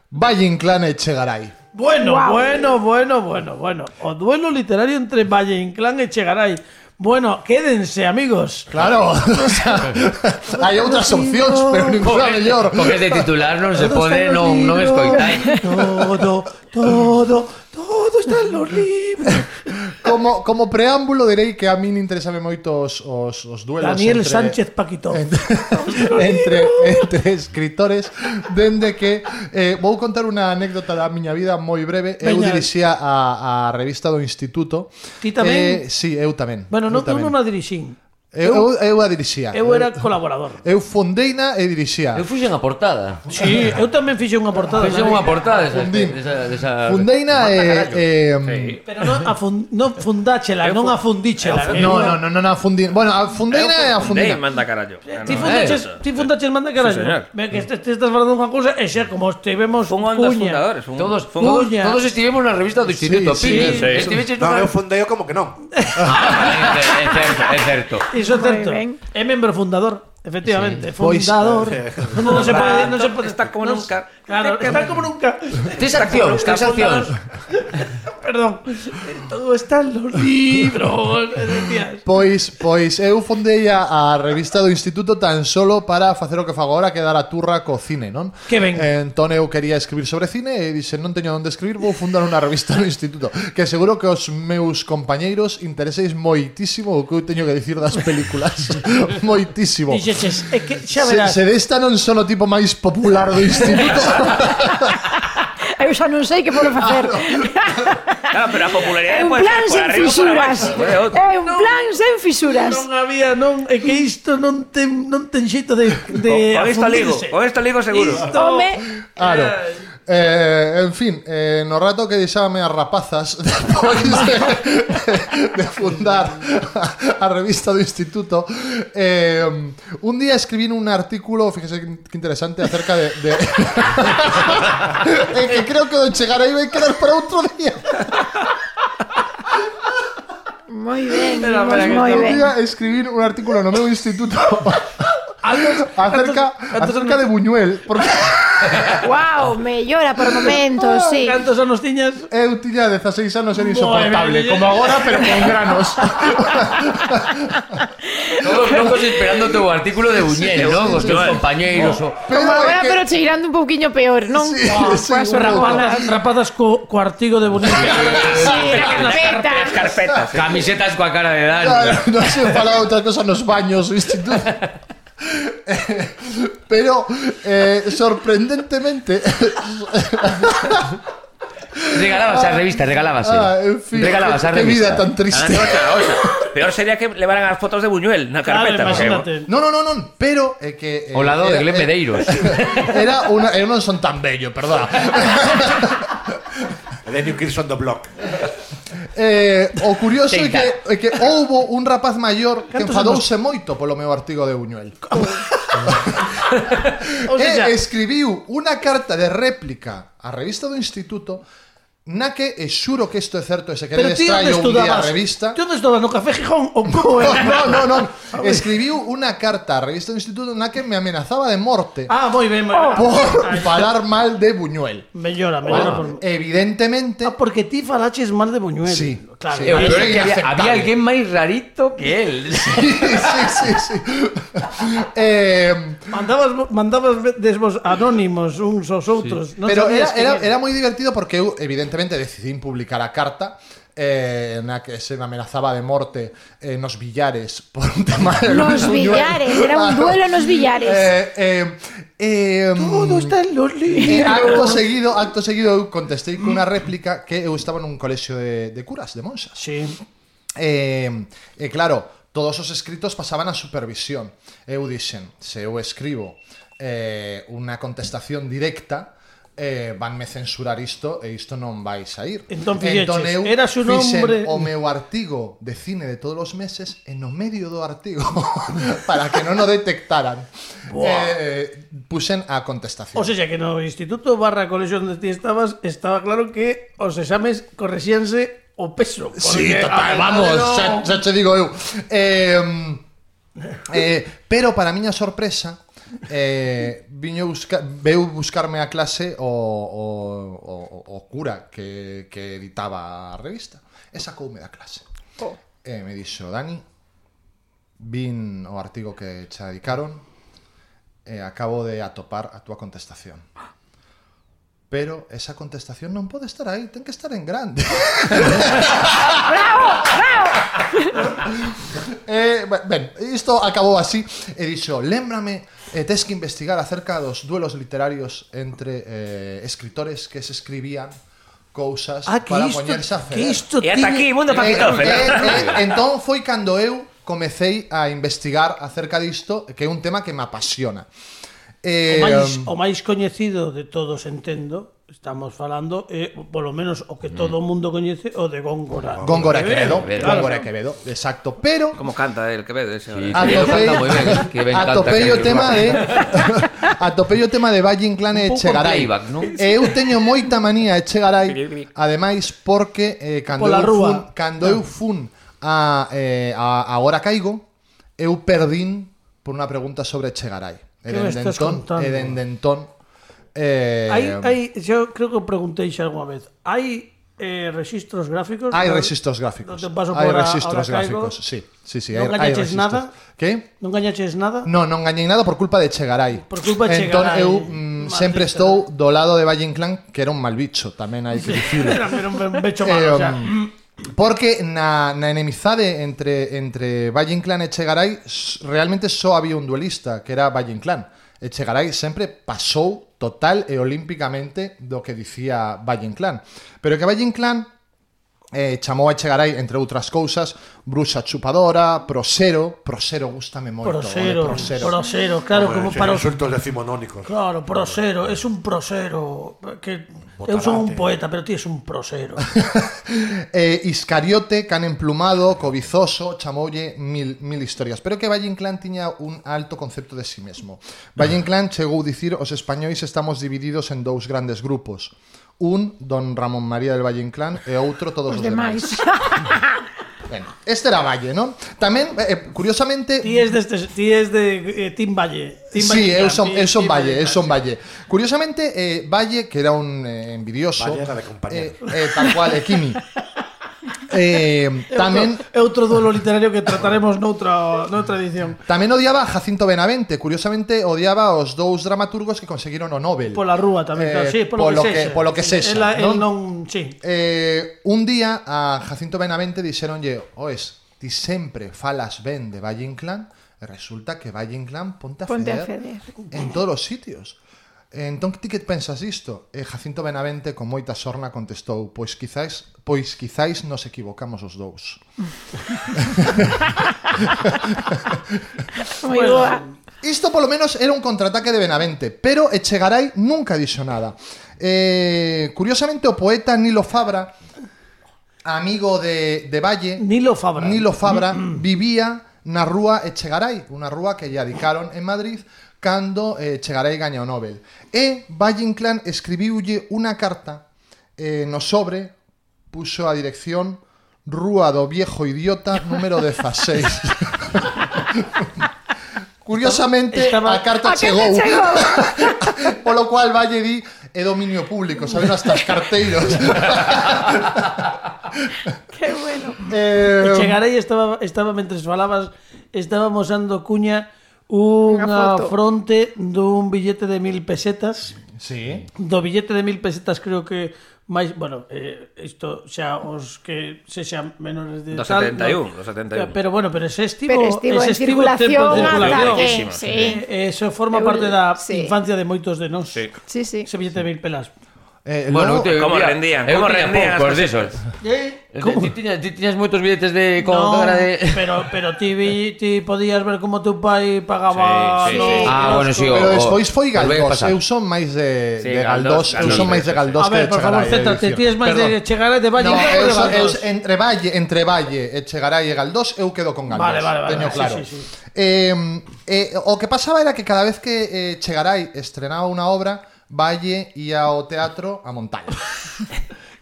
Valle Inclán e Chegaray. Bueno, Guau. bueno, bueno, bueno, bueno. O duelo literario entre Valle Inclán e Chegaray. Bueno, quédense, amigos. Claro, o sea, hai outras opcións, pero ninguna mellor. Porque de titular non se pode, non, non escoitai. Todo, todo, todo está en los libros. Como, como preámbulo direi que a min interésame moito os, os, os duelos Daniel entre, Sánchez Paquito. entre, entre, entre escritores, dende que eh, vou contar unha anécdota da miña vida moi breve. Eu Veña. dirixía a, a revista do Instituto. Ti tamén? Eh, sí, eu tamén. Bueno, eu non, eu tamén. non a dirixín. Eu, eu a dirixía. Eu era colaborador. Eu fondeina e dirixía. Eu fuxen a portada. Sí, eu tamén fixe unha portada. Fixen unha portada desa, Fundín. desa, desa... Fondeina e... e Pero non a fun, non fundáchela, non a fundíchela. no, no, no, no, no, a fundin. Bueno, a fondeina e a Fundei, fundina. manda carallo. Ti fundaches, ti fundaches manda carallo. Sí, señor. Ve que te, te estás falando unha cousa e xa como estivemos Fun un dos cuña. fundadores. Fun, Todos, fun todos, Cuña. todos estivemos na revista do Instituto Sí, Pini. sí, sí. Estiveches No, nunha- eu fundei como que non. Ah, é, é certo, é certo. Iso é certo. ben. É membro fundador, efectivamente, Pois- fundador. Non se pode, non se pode Está como non- nunca. Claro, está como nunca. Tes accións, tes accións. Perdón. Todo está en los libros, decías. Pois, pois eu fondei a, a revista do Instituto tan solo para facer o que fago agora, que dar a turra co cine, non? Que ben. Entón eu quería escribir sobre cine e dixen, non teño onde escribir, vou fundar unha revista no Instituto, que seguro que os meus compañeiros intereseis moitísimo o que eu teño que dicir das películas. Moitísimo. Dixeches, é que xa Se, verás. se desta non son o tipo máis popular do Instituto. Eu xa non sei que podo facer. Claro, pero a popularidade É un pode plan ser por sen arriba ou por fisuras. abaixo. Pode outro. É un plan sen fisuras. Non había, non, é que isto non ten, non ten xeito de, de Con isto ligo, afundirse. con isto ligo seguro. Isto- Home, Claro. Eh, en fin, eh, no rato que deixábame as rapazas despois de, de fundar a, a revista do Instituto, eh, un día escribí un artículo, fíjese que interesante, acerca de, de eh, que creo que do chegar aí vai quedar para outro día. moi ben, Espera, espera, imos que moi Un ben. día escribí un artículo no meu instituto acerca, acerca de Buñuel, porque Wow, mellora por momentos, sí. Cantos anos tiñas? eu tiña dezaseis anos, era insoportable, Madre como agora, pero con granos. Todos locos esperando o teu artículo de Buñuel, non? Os teus compañeiros o... Como é agora, que- pero cheirando un pouquiño peor, non? Sí, Oh, sí, coas un pouco. rapadas. Rapadas co, co artigo de Bonito. Sí, carpeta. Carpetas. Camisetas coa cara de Dani. Claro, non se falaba outra cosa nos baños do instituto. Eh, pero eh, sorprendentemente Regalabas a revista, regalabas. ah, en fin, Regalabas a qué vida revista. tan triste. Ah, oxa, oxa. Peor sería que levaran as fotos de Buñuel na Claro, carpeta. porque- imagínate. No, no, no, no, pero é que eh, O lado de era- Glen eh, Medeiros. Era una, eu non son tan bello, perdón. E de New Kids on the Block. Eh, o curioso é Take que, é que houbo un rapaz maior que Cantos enfadouse moito polo meu artigo de Buñuel. O sea, E escribiu unha carta de réplica á revista do Instituto na que, e xuro que isto é certo, e se pero queredes ti onde traio un día a estudabas? revista. Ti onde estudabas? No Café Gijón ou como era? No, no, no. Escribiu unha carta á revista do Instituto na que me amenazaba de morte Ah, moi ben, moi ben. por falar mal de Buñuel. Mellora, mellora por... Evidentemente, Ah, porque ti falaches mal de Buñuel. Sí, Claro. sí. E o peor é que había, inaceptable. había alguén máis rarito que él. sí, sí, sí, sí. eh, Mandabas, mandabas desvos anónimos uns aos outros. Non pero era, sabías quen era, era moi divertido porque eu evidentemente decidín publicar a carta eh, na que se me amenazaba de morte eh, nos billares por un tema de Nos Buñuel. billares, era un duelo nos billares. Eh, eh, eh, Todo está en los Eh, libros. acto seguido, acto seguido eu contestei cunha réplica que eu estaba nun colexio de, de curas, de monxas. Sí. E, e claro, todos os escritos pasaban a supervisión. Eu dixen, se eu escribo eh, unha contestación directa, eh, vanme censurar isto e isto non vai sair. Entón fixeches, eras un fixen hombre- o meu artigo de cine de todos os meses e no medio do artigo para que non o detectaran. Eh, puxen a contestación. O sea, que no instituto barra colexio onde ti estabas, estaba claro que os exames correxíanse o peso. Sí, porque, total, a- vamos, no- xa, xa che digo eu. Eh, eh, pero para a miña sorpresa, eh, viño busca, veu buscarme a clase o, o, o, o cura que, que editaba a revista e sacoume da clase. Oh. E me dixo, Dani, vin o artigo que che dedicaron e acabo de atopar a túa contestación. Pero esa contestación non pode estar aí, ten que estar en grande. Bravo, bravo. Eh, ben, isto acabou así e dixo, lémbrame, eh, tes que investigar acerca dos duelos literarios entre eh, escritores que se escribían cousas Ah, que para isto, poñerse a que ceder. isto E ata tiña- aquí, mundo Eh, para eh, eh, entón foi cando eu comecei a investigar acerca disto, que é un tema que me apasiona. Eh, o, máis, o máis coñecido de todos, entendo, estamos falando, é, polo menos, o que todo o mundo coñece, o de Góngora. Góngora Quevedo, Góngora Quevedo, exacto. Pero... Como canta el Quevedo ese. Sí, atopei o tema de... atopei o tema de Valle Inclán e Echegaray. Eu teño moita manía a Echegaray, ademais, porque eh, cando, eu fun, cando eu fun a, eh, a Agora Caigo, eu perdín por unha pregunta sobre Echegaray. E dende entón, e dende entón eh, hai, hai, yo creo que preguntei xa algunha vez. Hai eh, registros gráficos? Hai registros gráficos. No paso hai por registros a, gráficos, sí, sí, sí, non hai, gañaches hai nada? Que? Non gañaches nada? No, non gañei nada por culpa de Echegaray. Por culpa de entón, Echegaray. eu mm, sempre estou do lado de Valle Inclán, que era un mal bicho, tamén hai que dicirlo. Era un bicho malo, eh, o sea... Porque na, na enemizade entre, entre Valle Inclán e Echegaray realmente só había un duelista, que era Valle Inclán. Echegaray sempre pasou total e olímpicamente do que dicía Valle Inclán. Pero que Valle Inclán eh, chamou a Echegaray, entre outras cousas, bruxa chupadora, prosero. Prosero, gústame moito. Prosero, prosero, prosero claro, Hombre, como para os insultos decimonónicos. Claro, prosero, es un prosero que Botarate. Eu son un poeta, pero ti es un prosero. eh, Iscariote, can emplumado, cobizoso, chamoulle mil, mil historias. Pero que Valle Inclán tiña un alto concepto de sí mesmo. Valle Inclán chegou a dicir: os españois estamos divididos en dous grandes grupos. Un, don Ramón María del Valle Inclán, e outro, todos os, os demais. Bueno, este era Valle, non? Tamén, eh, curiosamente... Ti es de, este, ti es de eh, Team Valle. Team sí, Valle eu son, ti, eu son Valle, Valle, eu son Valle. Curiosamente, eh, Valle, que era un eh, envidioso... Valle era de compañero. Eh, eh, tal cual, eh, Kimi. Eh, tamén é outro duelo literario que trataremos noutra, noutra edición. Tamén odiaba a Jacinto Benavente. Curiosamente odiaba os dous dramaturgos que conseguiron o Nobel. Pola rúa tamén, claro, eh, sí, polo, polo que, que, sexa. polo que sexa, Ela, non? El non, sí. Eh, un día a Jacinto Benavente dixeronlle: "Oes, ti sempre falas ben de Valle Inclán", e resulta que Valle Inclán ponte a Ponte feder, a feder. en todos os sitios. Entón, ti que pensas isto? E Jacinto Benavente, con moita sorna, contestou: Pois quizáis, pois quizáis nos equivocamos os dous. Moi boa. Isto polo menos era un contraataque de Benavente, pero Echegaray nunca dixo nada. Eh, curiosamente, o poeta Nilo Fabra, amigo de, de Valle, Nilo Fabra, Nilo Fabra vivía na rúa Echegaray, unha rúa que lle adicaron en Madrid cando eh, Echegaray gaña o Nobel. E Valle Inclán escribiulle unha carta eh, no sobre, puxo a dirección Rúa do Viejo Idiota número dezaseis. Curiosamente, estaba, a carta A chegou. chegou. Polo cual Valle di é dominio público, saben, hasta os carteiros. Qué bueno. Eh, Chegarei estaba, estaba mentres falabas, estaba mosando cuña unha fronte dun billete de mil pesetas. Sí. Do billete de mil pesetas creo que máis, bueno, eh, isto xa os que sexan menores de do tal, setenta e un, no, do setenta e un. pero bueno, pero ese estivo, Pero estivo ese en estivo circulación tempo de circulación. ata que, sí. sí. Eh, eso forma parte da Sí. infancia de moitos de nós. Sí. Sí, sí. Ese billete de mil pelas. Eh, Bueno, logo, te, ¿Cómo mira, rendían? Eu ¿Cómo tiña rendían poucos as desos. Eh? Ti tiñas, ti tiñas moitos billetes de con No, cara de pero, pero ti, vi, ti podías ver como teu pai pagaba Sí, sí, no, sí. Ah, bueno, sí, pero o- despois foi o- volveu a Galdós. pasar. Eu son máis de, Sí, de Galdós, Galdós. Eu Galdós, son máis de Galdós A que ver, de por favor, Chegaray. céntrate, é ti dicir. es máis Perdón. de Chegaray de Valle No, que de eu, son- eu, Galdós. entre Valle, entre Valle e Chegaray e Galdós, eu quedo con Galdós. Vale, vale, vale, teño sí, claro. sí, sí. Eh, eh, o que pasaba era que cada vez que eh, Chegaray estrenaba unha obra, Valle ia ao teatro a montaña.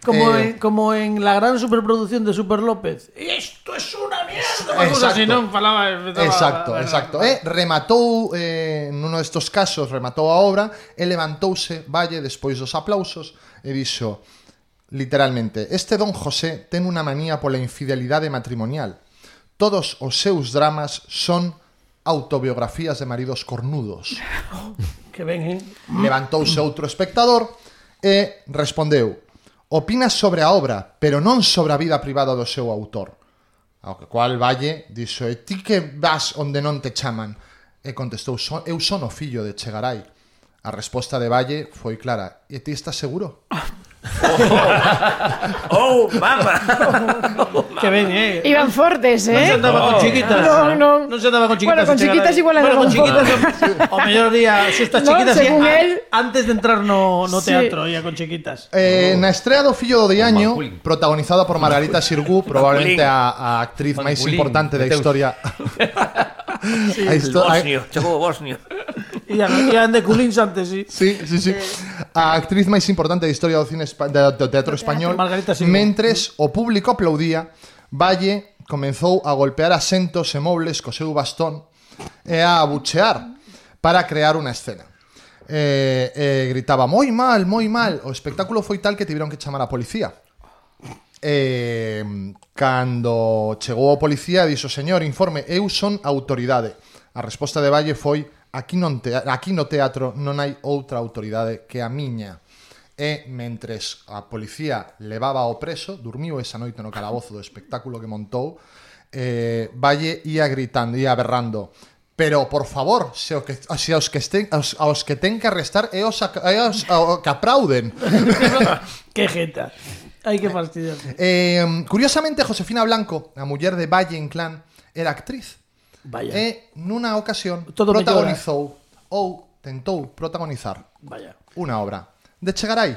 Como, Eh, en, como en la gran superproducción de Super López. Esto es una mierda. Unha cousa así, non falaba, empezaba, Exacto, a- a- exacto. E rematou, eh, nuno destos casos, rematou a obra e levantouse Valle despois dos aplausos e dixo, literalmente: este don José ten unha manía pola infidelidade matrimonial. Todos os seus dramas son autobiografías de maridos cornudos. Que ven, eh? Levantouse outro espectador e respondeu: opinas sobre a obra, pero non sobre a vida privada do seu autor. Ao que cual Valle dixo: e ti que vas onde non te chaman? E contestou: "So- eu son o fillo de Chegaray". A resposta de Valle foi clara: e ti estás seguro? Oh, mama. Que ben, eh. Iban fortes, Non se eh? andaba con chiquitas. No, no. Non se andaba con chiquitas. Bueno, con se chegara chiquitas aí. igual Bueno, andaba con un pouco. chiquitas. O mellor día, xustas No, chiquitas según a- él. antes de entrar no, no Sí. teatro, ia con chiquitas. Eh, na estrea do Fillo do Diaño, Manculín. protagonizada por Margarita Xirgu, probablemente a, a actriz máis Manculín, importante da Mateus. historia. A El histo- a- bosnio, chegou o bosnio. Ian, ian de culins antes, sí. Sí, sí, sí. A actriz máis importante da historia do cine espa- do, do teatro español. Margarita Xirgu. Mentres o público aplaudía, Valle comenzou a golpear asentos e mobles co seu bastón e a abuchear para crear unha escena. Eh, eh, gritaba moi mal, moi mal. O espectáculo foi tal que tiveron que chamar a policía. Eh, cando chegou o policía dixo: señor, informe, eu son autoridade. A resposta de Valle foi: aquí, non te, aquí no teatro non hai outra autoridade que a miña. E mentres a policía levaba ao preso, dormiu esa noite no calabozo do espectáculo que montou, eh, Valle ia gritando, ia berrando: pero, por favor, se, o que, se aos, que estén, aos, aos que ten que arrestar é os, a- é os a- que aplauden. Que jeta. Ai, que fastidio. Eh, curiosamente, Josefina Blanco, a muller de Valle Inclán, era actriz. Vaya. E nunha ocasión Todo protagonizou ou tentou protagonizar Vaya. unha obra de Chegaray.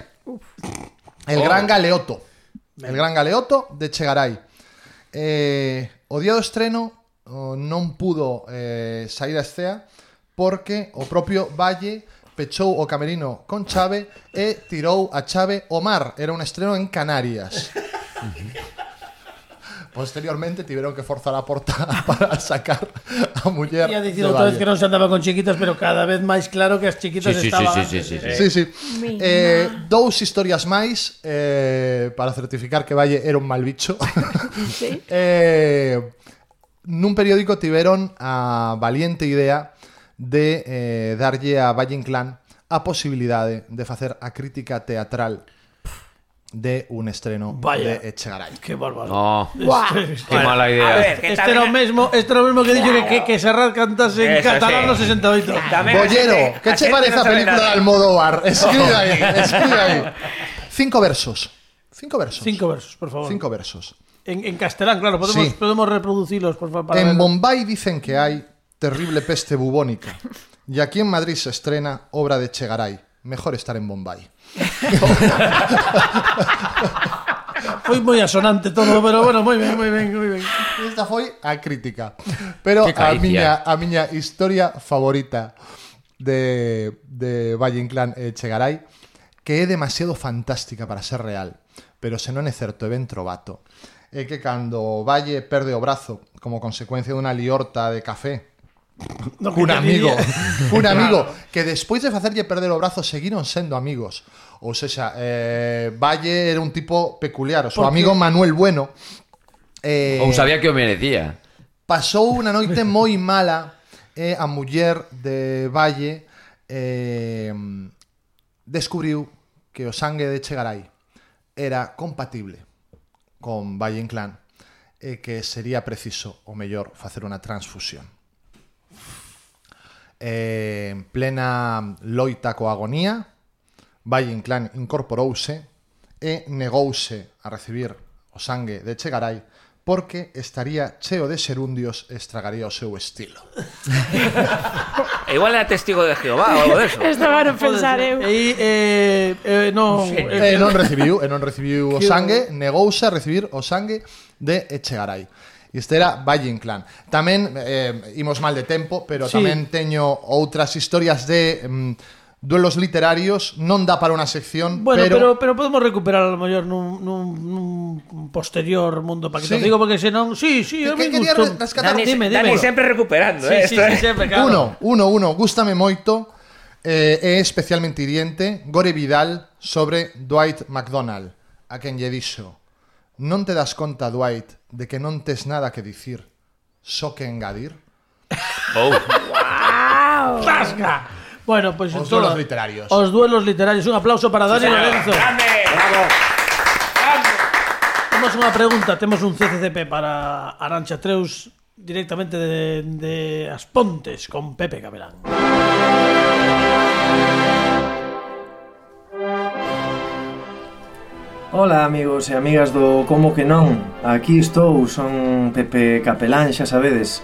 El Gran Galeoto. El Gran Galeoto de Chegaray. Eh, o día do estreno oh, non pudo eh, sair a escea porque o propio Valle pechou o camerino con chave e tirou a chave ao mar. Era un estreno en Canarias. Posteriormente tiveron que forzar a porta para sacar a muller Ia dicir de outra vez Valle. que non se andaba con chiquitas, pero cada vez máis claro que as chiquitas Sí, sí, estaban. sí, sí, sí, sí. Sí, sí. Mi Eh, dous historias máis eh, para certificar que Valle era un mal bicho. Sí. eh, nun periódico tiveron a valiente idea de eh, darlle a Valle Inclán a posibilidade de facer a crítica teatral de un estreno Vaya. de Echegaray. Que bárbaro. No, Buah. qué mala A idea. ver, que Este era o tamén... mesmo, este era o mesmo que dixo que, que, que Serrat cantase en Eso, catalán sí. no sesenta e oito. Tamén a Bollero, xente- que a che xente parece non a sabe película de nada. Almodóvar? Escribe aí, escribe aí. Cinco versos. Cinco versos. Cinco versos, por favor. Cinco versos. En, en castelán, claro, podemos, Sí. podemos reproducirlos, por favor. Para En verlo. Bombay dicen que hay terrible peste bubónica. Y aquí en Madrid se estrena obra de Chegaray. Mejor estar en Bombay. Foi moi asonante todo, pero bueno, moi ben, moi ben, moi ben. Esta foi a crítica. Pero Que a caricia. miña, a miña historia favorita de, de Valle Inclán e Chegaray, que é demasiado fantástica para ser real, pero se non é certo, é ben trovato, é que cando Valle perde o brazo como consecuencia dunha liorta de café No, que un te amigo, diría. un amigo que despois de facerlle perder o brazo seguiron sendo amigos. Ou seja, eh, Valle era un tipo peculiar. O seu Porque- amigo Manuel Bueno eh, Ou sabía que o merecía. pasou unha noite moi mala e a muller de Valle eh, descubriu que o sangue de Chegaray era compatible con Valle Inclán e que sería preciso o mellor facer unha transfusión. Eh, en plena loita coa agonía, Valle Inclán incorporouse e negouse a recibir o sangue de Chegaray porque estaría cheo de xerundios e estragaría o seu estilo. E igual era testigo de Jehová ou algo deso. Estaba a pensar eu. E eh, eh, non, E non recibiu, e non recibiu o sangue, negouse a recibir o sangue de Echegaray. Este era Valle Inclán. Tamén eh, imos mal de tempo, pero Sí. tamén teño outras historias de mm, duelos literarios. Non dá para unha sección, Bueno, pero, pero, pero podemos recuperar a lo mellor nun, nun, nun posterior mundo para que Sí. te digo, porque senón, sí, sí, a Que- mí que quería gustou. rescatar- Dani, Dime, Dani dime. sempre recuperando, Sí, eh, sí, esto, sí, eh. sempre, claro. uno, uno, uno, gústame moito, eh, é especialmente hiriente Gore Vidal sobre Dwight McDonald, a quen lle dixo: non te das conta, Dwight, de que non tes nada que dicir, só que engadir? Oh. ¡Tasca! Bueno, pues Os todo- duelos literarios. Os duelos literarios. Un aplauso para Dani Lorenzo. Grande. Temos unha pregunta, temos un C C C P para Arantxa Treus directamente de, de As Pontes con Pepe Cabelán. Ola amigos e amigas do Como que non. Aquí estou, son Pepe Capelán, xa sabedes,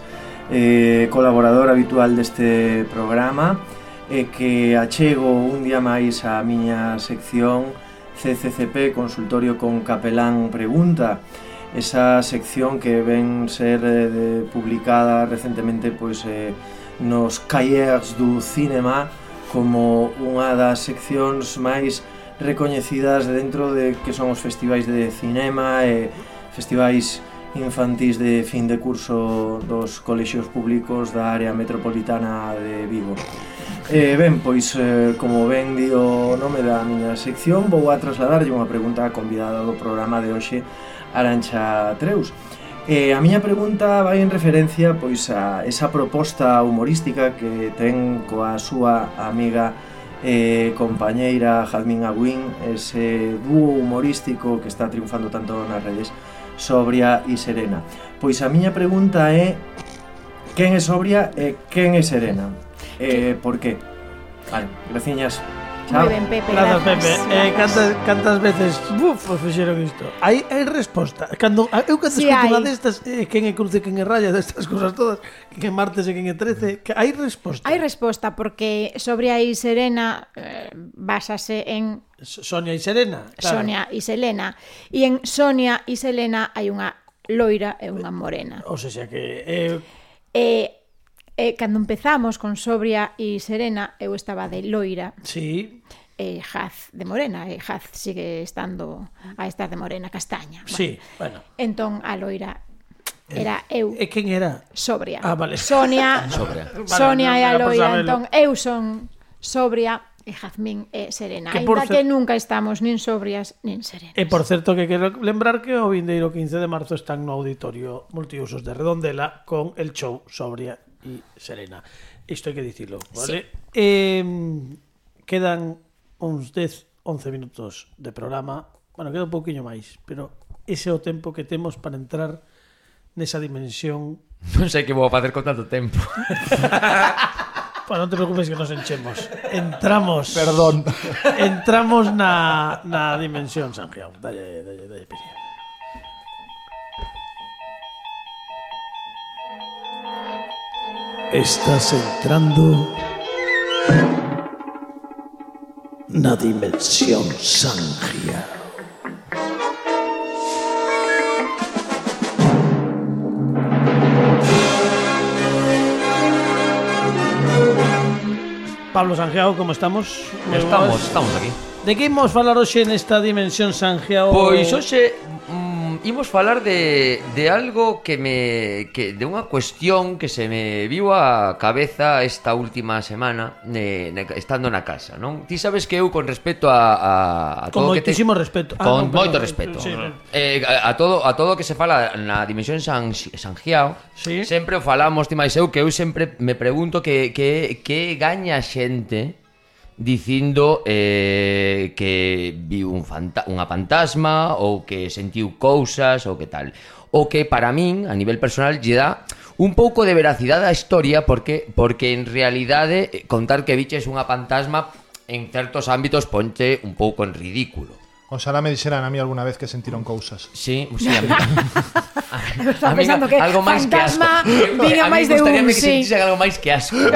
eh, colaborador habitual deste programa e que achego un día máis a miña sección C C C P, Consultorio con Capelán Pregunta. Esa sección que ven ser eh, publicada recentemente pois, eh, nos Cahiers du Cinema como unha das seccións máis recoñecidas dentro de que son os festivais de cinema e festivais infantís de fin de curso dos colexios públicos da área metropolitana de Vigo. E ben, pois, eh, como ben di o nome da miña sección, vou a trasladarlle unha pregunta á convidada do programa de hoxe, Arantxa Treus. E a miña pregunta vai en referencia pois a esa proposta humorística que ten coa súa amiga e compañeira Jazmín Agüín, ese dúo humorístico que está triunfando tanto nas redes, Sobria e Serena. Pois a miña pregunta é: quen é Sobria e quen é Serena? E por qué? Vale, graciñas. Moi ben, Pepe, Grazas, grazas. Pepe. Eh, cantas, cantas veces buf, os fixeron isto? Hai, hai resposta. Cando, eu cando Sí, escuto hai. unha destas, eh, quen é cruce, quen é raya, destas cousas todas, quen é martes e quen é trece, que hai resposta. Hai resposta porque Sobria e Serena eh, basase en Sonia e Serena. Claro. Sonia e Selena. E en Sonia e Selena hai unha loira e unha morena. O sea que... Eh, E, e cando empezamos con Sobria e Serena, eu estaba de loira. sí, E Jaz de morena, e Jaz sigue estando a estar de morena castaña. sí, bueno. Entón a loira era eu, E quen era? Sobria. Ah, vale. Sonia, Sobria. Sonia Vale, e a era por loira, sabelo. entón eu son Sobria e Jazmín e Serena. Que por Ainda cer- que nunca estamos nin sobrias nin serenas. E por certo que quero lembrar que o vindeiro quince de marzo están no auditorio multiusos de Redondela con el show Sobria e Serena. Isto hai que dicilo, vale? Sí. Eh, quedan uns dez, once minutos de programa. Bueno, queda un pouquiño máis, pero ese é o tempo que temos para entrar nesa dimensión. Non sei que vou a facer con tanto tempo. Bueno, non te preocupes que nos enchemos. Entramos. Perdón. Entramos na, na dimensión Sanjiao. Dalle, dalle, dalle, pilla. Estás entrando na dimensión Sanjiao. Pablo Sanjiao, como estamos? Moi Estamos, boas. estamos aquí. De que imos falar hoxe nesta dimensión Sanjiao? Pois hoxe mm, imos falar de, de algo que me que de unha cuestión que se me viu a cabeza esta última semana eh, ne, estando na casa, non? Ti sabes que eu con respecto a, a, a Con todo que te, moitísimo respeto. Ah, con non, moito perdón. respeto. Sí, eh, a, a todo a todo que se fala na dimensión San Sanjiao, Sí. sempre o falamos ti máis eu que eu sempre me pregunto que que que gaña a xente dicindo eh, que viu un fanta unha fantasma ou que sentiu cousas ou que tal. O que para min, a nivel personal, lle dá un pouco de veracidade á historia porque porque en realidade contar que viches unha fantasma en certos ámbitos ponte un pouco en ridículo. Oxalá me dixeran a mí alguna vez que sentiron cousas. Sí, sí, a mí. Estaba pensando que algo máis que asco. fantasma viña A mí máis de un, gustaríame que sí. sentise algo máis que asco. ¿No?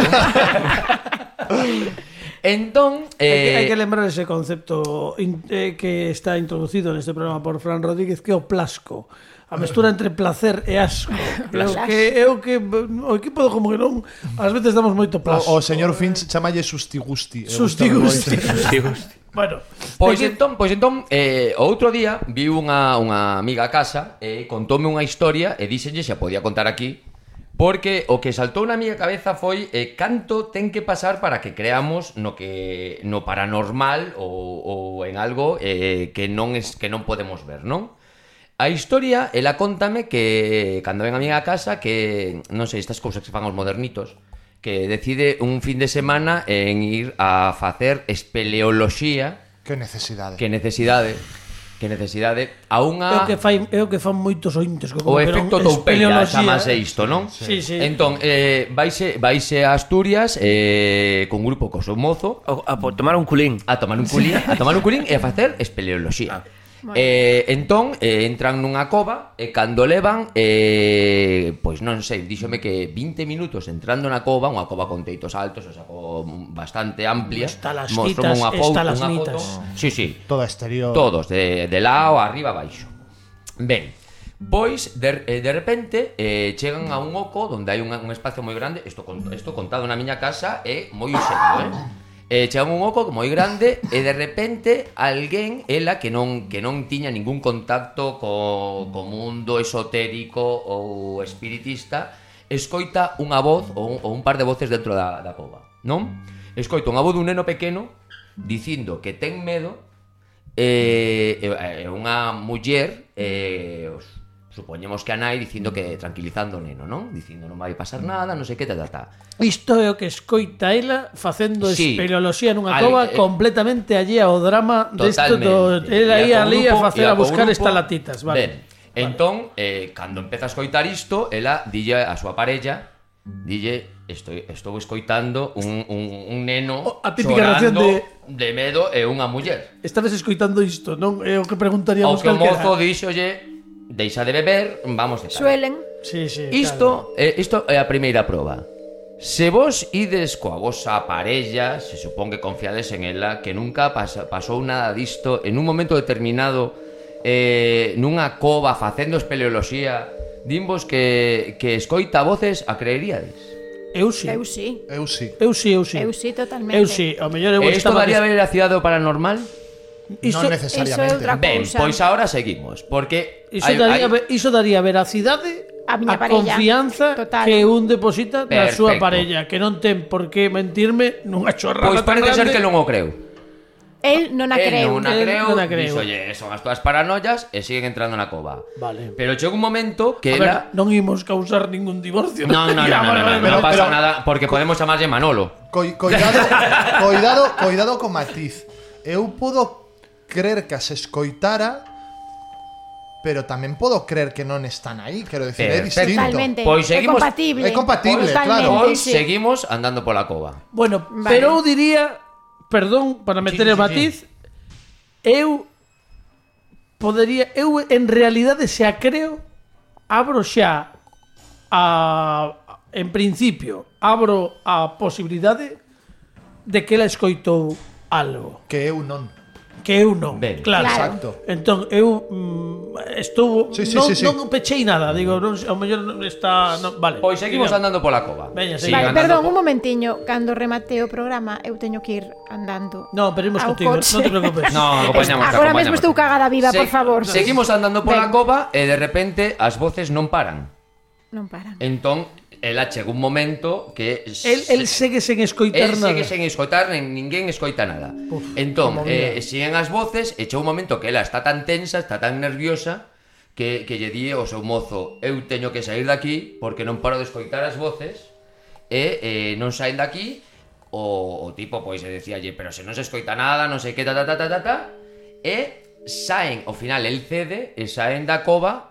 Entón, Hai que, eh, hai que lembrar ese concepto in, eh, que está introducido neste programa por Fran Rodríguez, que é o plasco. A mestura entre placer e asco. É o que, é o que o equipo do Como que non ás veces damos moito plasco. O, o señor Finch chamalle sustigusti. E Sustigusti. gústame Bueno, Pois de que- entón, pois entón eh, o outro día viu unha, unha amiga a casa e contoume unha historia e díxenlle se a podía contar aquí porque o que saltou na miña cabeza foi eh, canto ten que pasar para que creamos no que no paranormal ou, ou en algo eh, que non es que non podemos ver, non? A historia, ela contame que cando ven a miña casa que, non sei, estas cousas que se fan aos modernitos, que decide un fin de semana en ir a facer espeleoloxía. Que necesidade. Que necesidade, que necesidade a é o unha que fai, é o que fan moitos ointes co o efecto toupeira, chamase isto, non? Sí, sí. Entón, eh, vaise, vaise a Asturias eh, con un grupo co seu mozo A, a por tomar un culín. a tomar un culín, a tomar un culín e a facer espeleoloxía. Eh, entón, eh, entran nunha cova e cando levan, eh, pois non sei, díxome que vinte minutos entrando na cova, unha cova con teitos altos, o sea, bastante amplia. Estalactitas, unha estalagmitas. Sí, sí. Todo exterior. Todos, de, de lado, arriba, abaixo. Ben, pois, de, de repente, eh, chegan a un oco onde hai un, un espacio moi grande. Isto, isto contado na miña casa é moi serio, eh? Eh, chegan un oco moi grande e de repente alguén, ela que non que non tiña ningún contacto co, co mundo esotérico ou espiritista, escoita unha voz ou un, ou un par de voces dentro da, da cova, non? Escoita unha voz dun neno pequeno dicindo que ten medo e eh, eh, unha muller eh, os, supoñemos que a nai dicindo que tranquilizando o neno, non? Dicindo non vai pasar nada, non sei que, ta, ta, ta. Isto é o que escoita ela facendo Sí. espeleoloxía nunha Al- cova eh, completamente allí ao drama desto do... Totalmente. Ela ia Ia co ali a grupo, facer ia a co buscar grupo. estalactitas, vale. Ben, entón, eh, cando empeza a escoitar isto, ela dille a súa parella, dille, estou, estou escoitando un, un, un neno Oh, a típica reacción chorando de- de medo e unha muller. Estades escoitando isto, non? É o que Ao preguntaríamos que o calquera. mozo dixolle, deixa de beber, vamos de tal. Suelen. Sí, sí, Isto, eh, isto é a primeira proba. Se vos ides coa vosa parella, se supón que confiades en ela, que nunca pasa, pasou nada disto, en un momento determinado, eh, nunha cova facendo espeleoloxía, dinvos que, que escoita voces, a creeríades? Eu sí. Eu sí. Eu sí. Eu sí, eu sí. Eu sí, totalmente. Eu sí, ao mellor eu E isto estaba... daría veracidade ao paranormal? Isto, Non necesariamente. Iso é outra Ben, cousa. pois ahora seguimos, porque iso, hai- daría, hai- ve- iso daría veracidade A miña a parella. confianza Total. que un deposita na súa Perfecto. parella, que non ten por que mentirme nunha chorrada Pois tan parece ser grande. que non o creu. El non a El creu. non a El creu, non a creu. dixo, oye, son as túas paranoias e siguen entrando na cova. Vale. Pero chega un momento que A ver, ela... non imos causar ningún divorcio. No, no, no, Ya, no, no, vale, no, vale, no, pero- pasa pero- nada, porque podemos chamarlle Manolo. Coi- Coidado, coidado, coidado con matiz. Eu podo crer que as escoitara, pero tamén podo crer que non están aí, quero decir, é Perfecto. distinto. Totalmente. Pois seguimos- É compatible. É compatible, Totalmente, claro. Pois sí. seguimos andando pola cova. Bueno, Vale. pero eu diría, perdón, para meter Sí, sí, el matiz, eu podería, eu en realidade se a creo, abro xa a en principio, abro a posibilidade de que ela escoitou algo, Que eu non. que eu non. Ben, claro. claro. Exacto. Entón, eu mm, estuvo Sí, sí, non, sí, sí. non pechei nada, digo, non, ao mellor non está, non, vale. Pois seguimos Diga. andando pola cova. Veña, Sigue siga. Vale, andando perdón, po- un momentiño. Cando remate o programa, eu teño que ir andando. No, pero imos ao contigo, coche. non te preocupes. No, acompañamos, Agora acompañamos. mesmo estou cagada viva, Se- por favor. Seguimos andando pola Ben. cova e de repente as voces non paran. Non paran. Entón, ela chega un momento que El, el segue sen escoitar El nada. segue sen escoitar, nen, ninguén escoita nada. Uf, entón, como vida. eh, siguen as voces e chega un momento que ela está tan tensa, está tan nerviosa que, que lle di ao seu mozo, eu teño que sair daqui porque non paro de escoitar as voces e eh, non saen daqui. O, o tipo pois se decíalle, pero se non se escoita nada, non sei que, ta ta ta ta ta, ta e saen, ao final el cede e saen da cova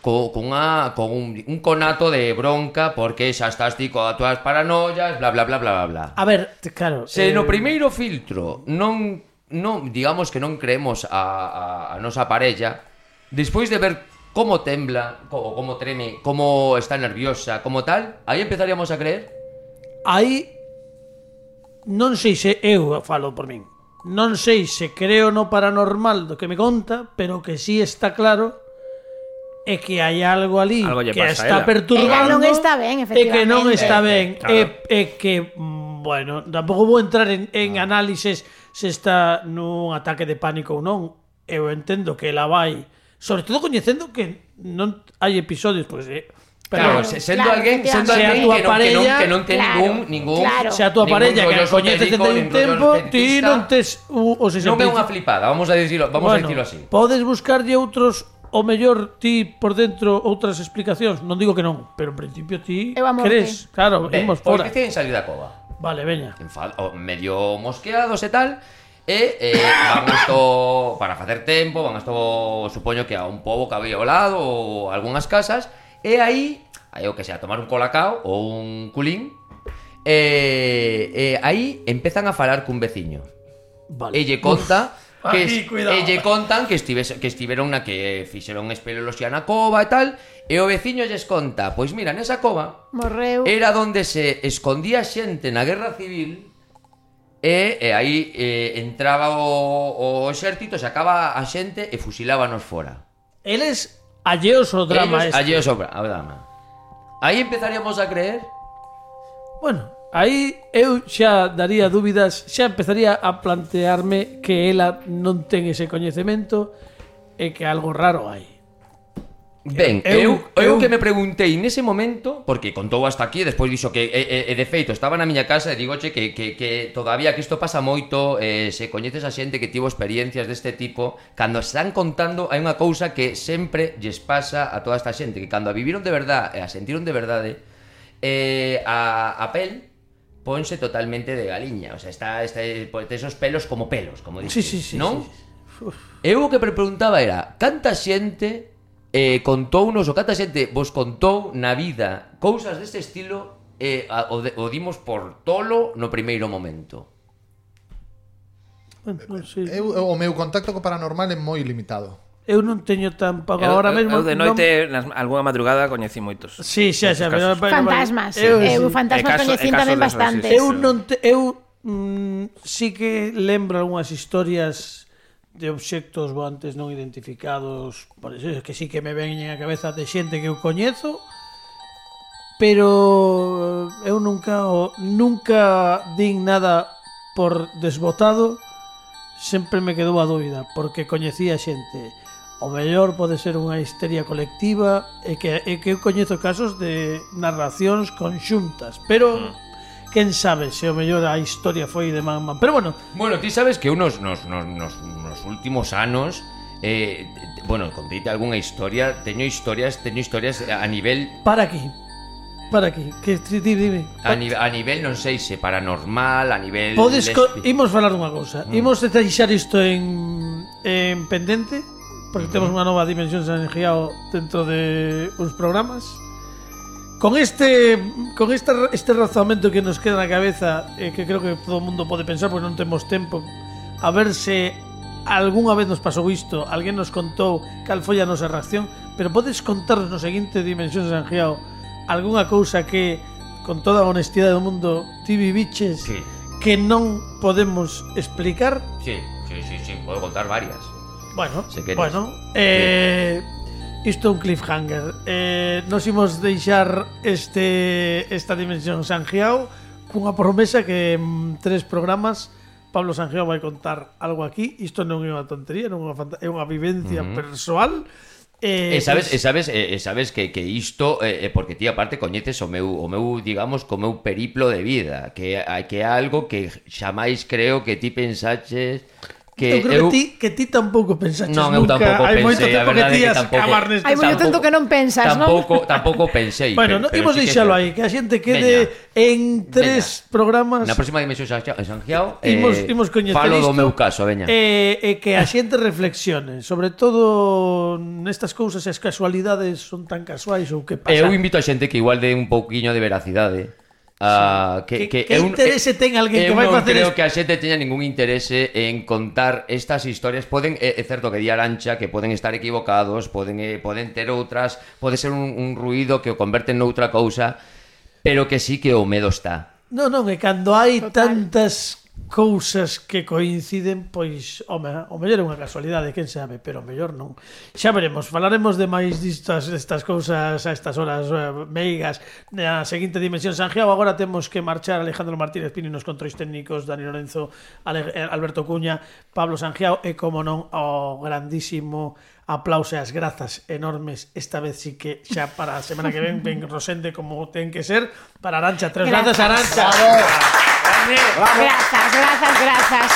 co, con, unha, con un, un conato de bronca porque xa estás ti coas túas paranoias, bla bla bla bla bla bla. A ver, te- claro. Se eh, no primeiro filtro non, non digamos que non creemos a, a, a nosa parella, despois de ver como tembla, como, como treme, como está nerviosa, como tal, aí empezaríamos a creer. Aí non sei se eu falo por min. Non sei se creo no paranormal do que me conta, pero que sí está claro é que hai algo ali Algo lle que pasa a está ela. perturbando. Ela non está ben, E que non efectivamente. está ben. Claro. E, e que, mm, bueno, tampouco vou entrar en, en análises se está nun ataque de pánico ou non. Eu entendo que ela vai, sobre todo coñecendo que non hai episodios, pois, eh, Claro, pero se- sendo claro, alguén, sendo Se a alguén túa que non, que non, parella- que non ten Claro, ningún ningún claro. se a túa ningún parella que rollo a coñeces esotérico, dende un nin rollo tempo, ti espiritista, non tes o, o se non é unha flipada, vamos a dicilo, vamos a dicilo así. Podes buscarlle outros, o mellor ti por dentro outras explicacións, non digo que non, pero en principio ti Eu a morte. crees, claro, Ben, imos pois fora. deciden salir da cova. Vale, veña. Enfad- o medio mosqueados e tal. E eh, van isto para facer tempo, van isto supoño que a un pobo que había ao lado ou algunhas casas. E aí, aí o que sea, tomar un colacao ou un culín. E, e aí empezan a falar cun veciño. Vale. E lle conta que Aquí, es, cuidado. e lle contan que estivese, que estiveron na que fixeron espeleoloxía na cova e tal, e o veciño lles conta, pois mira, nesa cova Morreu. era onde se escondía xente na guerra civil e, e aí e, entraba o, o exército, sacaba a xente e fusilábanos fora. Eles alleos ao drama Ellos, este. alleos ao drama. Aí empezaríamos a creer. Bueno, aí eu xa daría dúbidas, xa empezaría a plantearme que ela non ten ese coñecemento e que algo raro hai. Ben, Eu- eu, eu, eu- que me preguntei nese momento, porque contou hasta aquí, e despois dixo que, e, e, e de feito, estaba na miña casa e digoche que, que, que todavía que isto pasa moito, eh, se coñeces a xente que tivo experiencias deste tipo, cando están contando hai unha cousa que sempre lles pasa a toda esta xente, que cando a viviron de verdade e a sentiron de verdade, eh, a, a pel ponse totalmente de galiña, o sea, está, está esos pelos como pelos, como dices, Sí, sí, sí, non? sí, sí. Uf. Eu o que me preguntaba era, canta xente eh, contounos, ou canta xente vos contou na vida cousas deste estilo e eh, o, de, o dimos por tolo no primeiro momento? Bueno, non sei. Eu, o meu contacto co paranormal é moi limitado. Eu non teño tampouco Eu, agora eu, mesmo. eu de non- noite, nas, algunha madrugada, coñecí moitos. Sí, xa, xa, Casos. pero, pero, Fantasmas. Eu, Eu, sí. fantasmas E caso- coñecín e casos tamén de bastantes. exorcismo. Eu non te, eu mm, sí que lembro algunhas historias de obxectos voantes non identificados, por eso, que sí que me veñen a cabeza de xente que eu coñezo, pero eu nunca o- nunca din nada por desbotado, sempre me quedou a dúbida, porque coñecía xente. O mellor pode ser unha histeria colectiva e que, e que eu coñezo casos de narracións conxuntas, pero quen sabe se o mellor a historia foi de man man. Pero bueno, Bueno, ti sabes que unos nos, nos, nos, nos últimos anos eh, bueno, conteite algunha historia, teño historias, teño historias a nivel para aquí. Para aquí, que ti- ti- dime. a, ni, a nivel non sei se paranormal, a nivel Podes co- lesbi- imos falar dunha cousa. Mm. Imos deixar isto en en pendente, porque temos unha nova dimensión Sangiao dentro de uns programas. Con este con este este razonamento que nos queda na cabeza, eh, que creo que todo o mundo pode pensar porque non temos tempo, a ver se algunha vez nos pasou isto, alguén nos contou cal foi a nosa reacción, pero podes contarnos no seguinte dimensión Sangiao algunha cousa que con toda a honestidade do mundo ti viviches Sí, que non podemos explicar? sí, sí, sí, sí, podo contar varias. Bueno, Se queres. bueno, eh, isto é un cliffhanger. Eh, nos imos deixar este esta dimensión Sangiao cunha promesa que en tres programas Pablo Sangiao vai contar algo aquí. Isto non é unha tontería, non é unha, fanta- é unha vivencia Uh-huh. persoal. Eh, E sabes, pues, e sabes, e sabes que, que isto é eh, porque ti aparte coñeces o meu o meu, digamos, co meu periplo de vida, que que é algo que xamais creo que ti pensaches que eu creo que ti que ti tampouco pensaches Non, eu nunca. tampouco Hai moito pensei, a tempo que verdade ti é que as tampouco- cabas neste Hai moito tempo. tempo que non pensas, non? tampouco tampouco pensei. Bueno, no, pero imos sí que é deixalo certo. aí, que a xente quede en tres programas. Na próxima dimensión Sangiao, Sangiao Imos- eh, imos coñecer falo do isto. meu caso, veña. E, e que a xente reflexione, sobre todo nestas cousas, se as casualidades son tan casuais ou que pasa. Eu invito a xente que igual dé un pouquiño de veracidade. Uh, que, Que- que, que eu- interese ten alguén que eu vai non facer creo es- que a xente teña ningún interese en contar estas historias. Poden, é, é certo que di Arancha que poden estar equivocados, poden, eh, poden ter outras, pode ser un, un ruido que o converten noutra cousa, pero que sí que o medo está. Non, non, e cando hai Total. tantas cousas que coinciden, pois, home, o mellor é unha casualidade, quen sabe, pero o mellor non. Xa veremos, falaremos de máis distas estas cousas a estas horas eh, meigas na seguinte dimensión Sangiao. Agora temos que marchar Alejandro Martínez Pini nos controis técnicos, Dani Lorenzo, Ale, eh, Alberto Cuña, Pablo Sangiao e, como non, o grandísimo aplauso e as grazas enormes, esta vez sí que xa para a semana que ven ven Rosende como ten que ser, para Arancha. Tres grazas, Arancha. Grazas, grazas, grazas.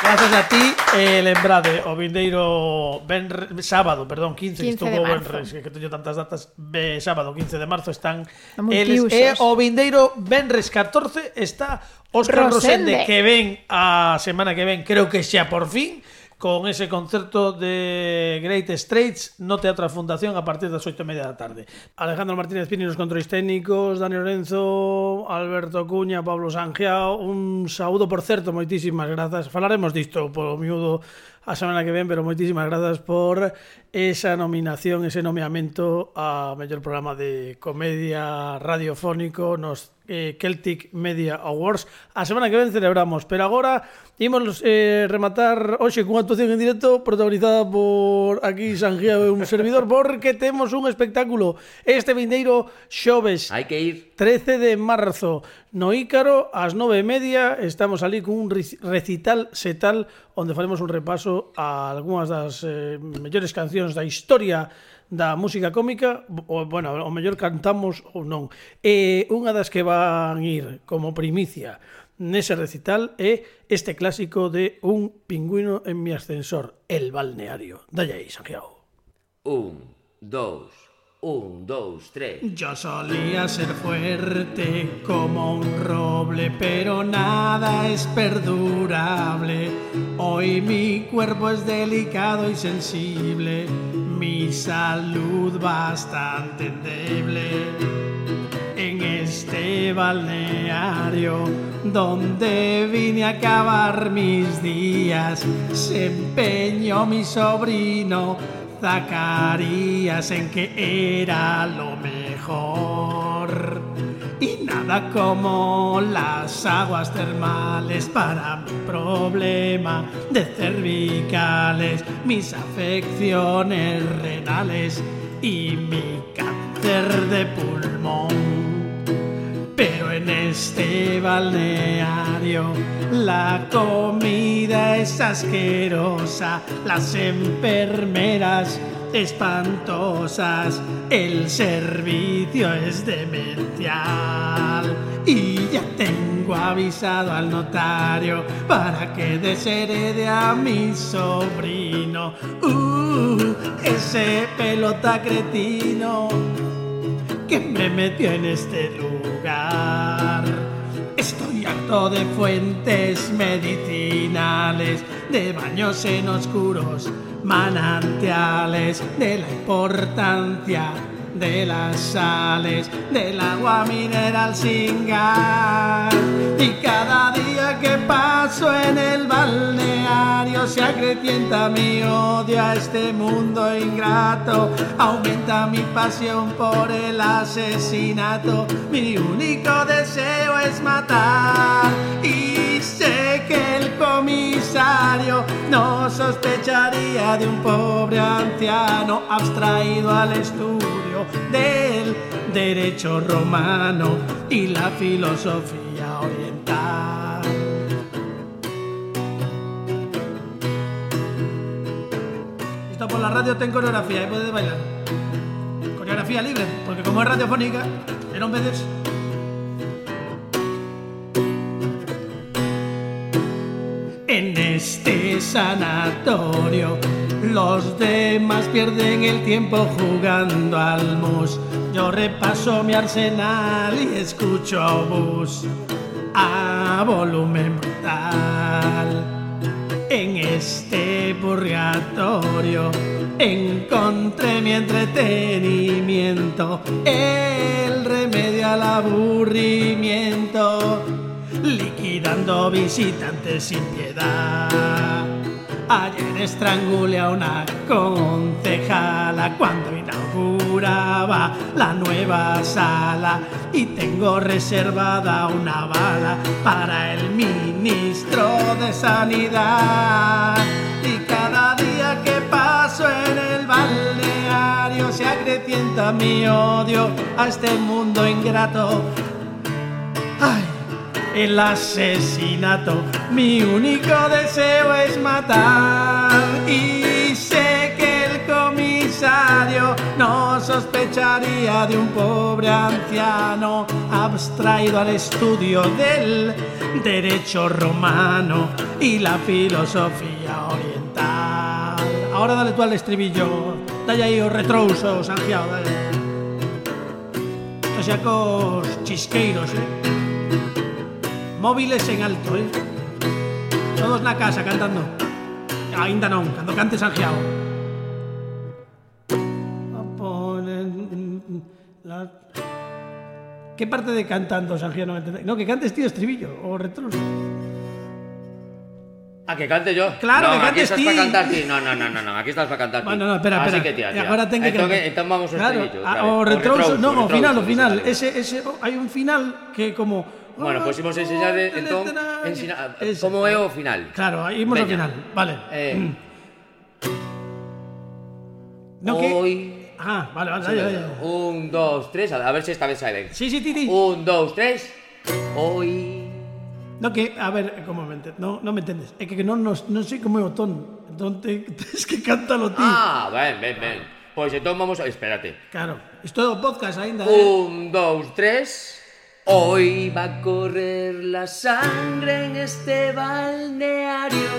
Grazas a ti, eh, lembrade, o vindeiro benre, sábado, perdón, quince, que quince de estuvo marzo. benres, que, que teño tantas datas, be, sábado quince de marzo están Estamos eles, tiusos. e o vindeiro benres catorce está Óscar Rosende, Rosende. que ven a semana que ven, creo que xa por fin, con ese concerto de Great Straits no Teatro da Fundación a partir das oito e media da tarde. Alejandro Martínez Pini nos controis técnicos, Dani Lorenzo, Alberto Cuña, Pablo Sangiao, un saúdo, por certo, moitísimas grazas. Falaremos disto polo miúdo a semana que ven, pero moitísimas grazas por esa nominación, ese nomeamento a mellor programa de comedia radiofónico nos eh, Celtic Media Awards. A semana que ven celebramos, pero agora imos eh, rematar hoxe cunha actuación en directo protagonizada por aquí Sangiao e un servidor, porque temos un espectáculo este vindeiro xoves hai que ir trece de marzo no Ícaro ás nove e media. Estamos ali con un recital setal onde faremos un repaso a algunhas das eh, mellores cancións da historia da música cómica, o, bueno, o mellor cantamos ou non. E unha das que van ir como primicia nese recital é este clásico de Un pingüino en mi ascensor, El balneario. Dalle aí, Santiago. Un, dous, un, dous, tres. Yo solía ser fuerte como un roble, pero nada es perdurable. Hoy mi cuerpo es delicado y sensible, mi salud bastante endeble. En este balneario donde vine a acabar mis días, se empeñó mi sobrino Zacarías en que era lo mejor. Y nada como las aguas termales para mi problema de cervicales, mis afecciones renales y mi cáncer de pulmón. Pero en este balneario la comida es asquerosa, las enfermeras espantosas, el servicio es demencial. Y ya tengo avisado al notario para que desherede a mi sobrino. Uh, ese pelota cretino que me metió en este lugar. Estoy harto de fuentes medicinales, de baños en oscuros manantiales, de la importancia de las sales, del agua mineral sin gas. Y cada día que paso en el balneario se acrecienta mi odio a este mundo ingrato, aumenta mi pasión por el asesinato, mi único deseo es matar. Y sé que el comisario no sospecharía de un pobre anciano abstraído al estudio del derecho romano y la filosofía oriental. Esto por la radio ten coreografía y puedes bailar. Coreografía libre, porque como es radiofónica, pero en veces en este sanatorio los demás pierden el tiempo jugando al mus. Yo repaso mi arsenal y escucho bus a volumen brutal. En este purgatorio encontré mi entretenimiento, el remedio al aburrimiento, liquidando visitantes sin piedad. Ayer estrangulé a una concejala cuando inauguraba la nueva sala, y tengo reservada una bala para el ministro de Sanidad. Y cada día que paso en el balneario se acrecienta mi odio a este mundo ingrato. ¡Ay! El asesinato, mi único deseo es matar. Y sé que el comisario no sospecharía de un pobre anciano abstraído al estudio del derecho romano y la filosofía oriental. Ahora dale tú al estribillo, dale ahí os retrousos, Santiago, dale. Estos xa cos chisqueiros, eh. Móviles en alto, eh? Todos na casa cantando. Ainda non, cando cante Santiago. La... Que parte de cantando, Santiago, non entende? No, que cantes tío estribillo, o retrouso. A que cante yo. Claro, no, que cantes aquí estás ti. para cantar ti. No, no, no, no, no, aquí estás para cantar ti. Bueno, no, espera, Así espera. que tira, E tira. agora ten que entón, cantar. entón vamos ao Claro, estribillo. a- o retrouso, non, o final, o final. Ese, ese, hai un final que como... Bueno, pois imos enseñar, entón, ensina, como é o final. Claro, aí imos ao Veña. final. Vale. Eh, No, que... Hoy... Ah, vale, vale, vale, vale. Un, dos, tres, a ver se esta vez sae ben. Sí, sí, Titi. Un, dos, tres. Hoy... No, que, a ver, como me ente- no, non me entendes. É que non, non, non sei como é o ton. Entón, te, tens que cántalo ti. Ah, ben, ben, ben. Pois entón vamos a... Espérate. Claro. Isto é o podcast aínda, eh? Un, dos, tres. Hoy va a correr la sangre en este balneario.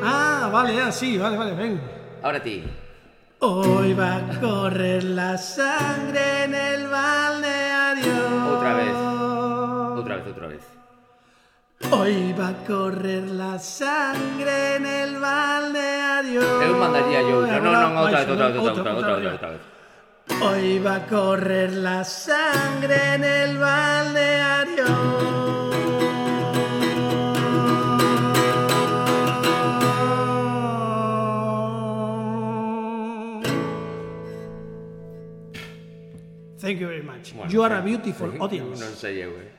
Ah, vale, ah, sí, vale, vale, ven. Ahora ti. Hoy va a correr la sangre en el balneario. Outra vez. Outra vez, outra vez. Hoy va a correr la sangre en el balneario. Eu mandaría yo outra. Non, non, outra vez, Baixo, outra vez, outra vez, outra, outra vez, outra, outra vez. Hoy va a correr la sangre en el balneario. Thank you very much. Bueno, You are a sí. beautiful Sí, audience. Non sei eu, eh.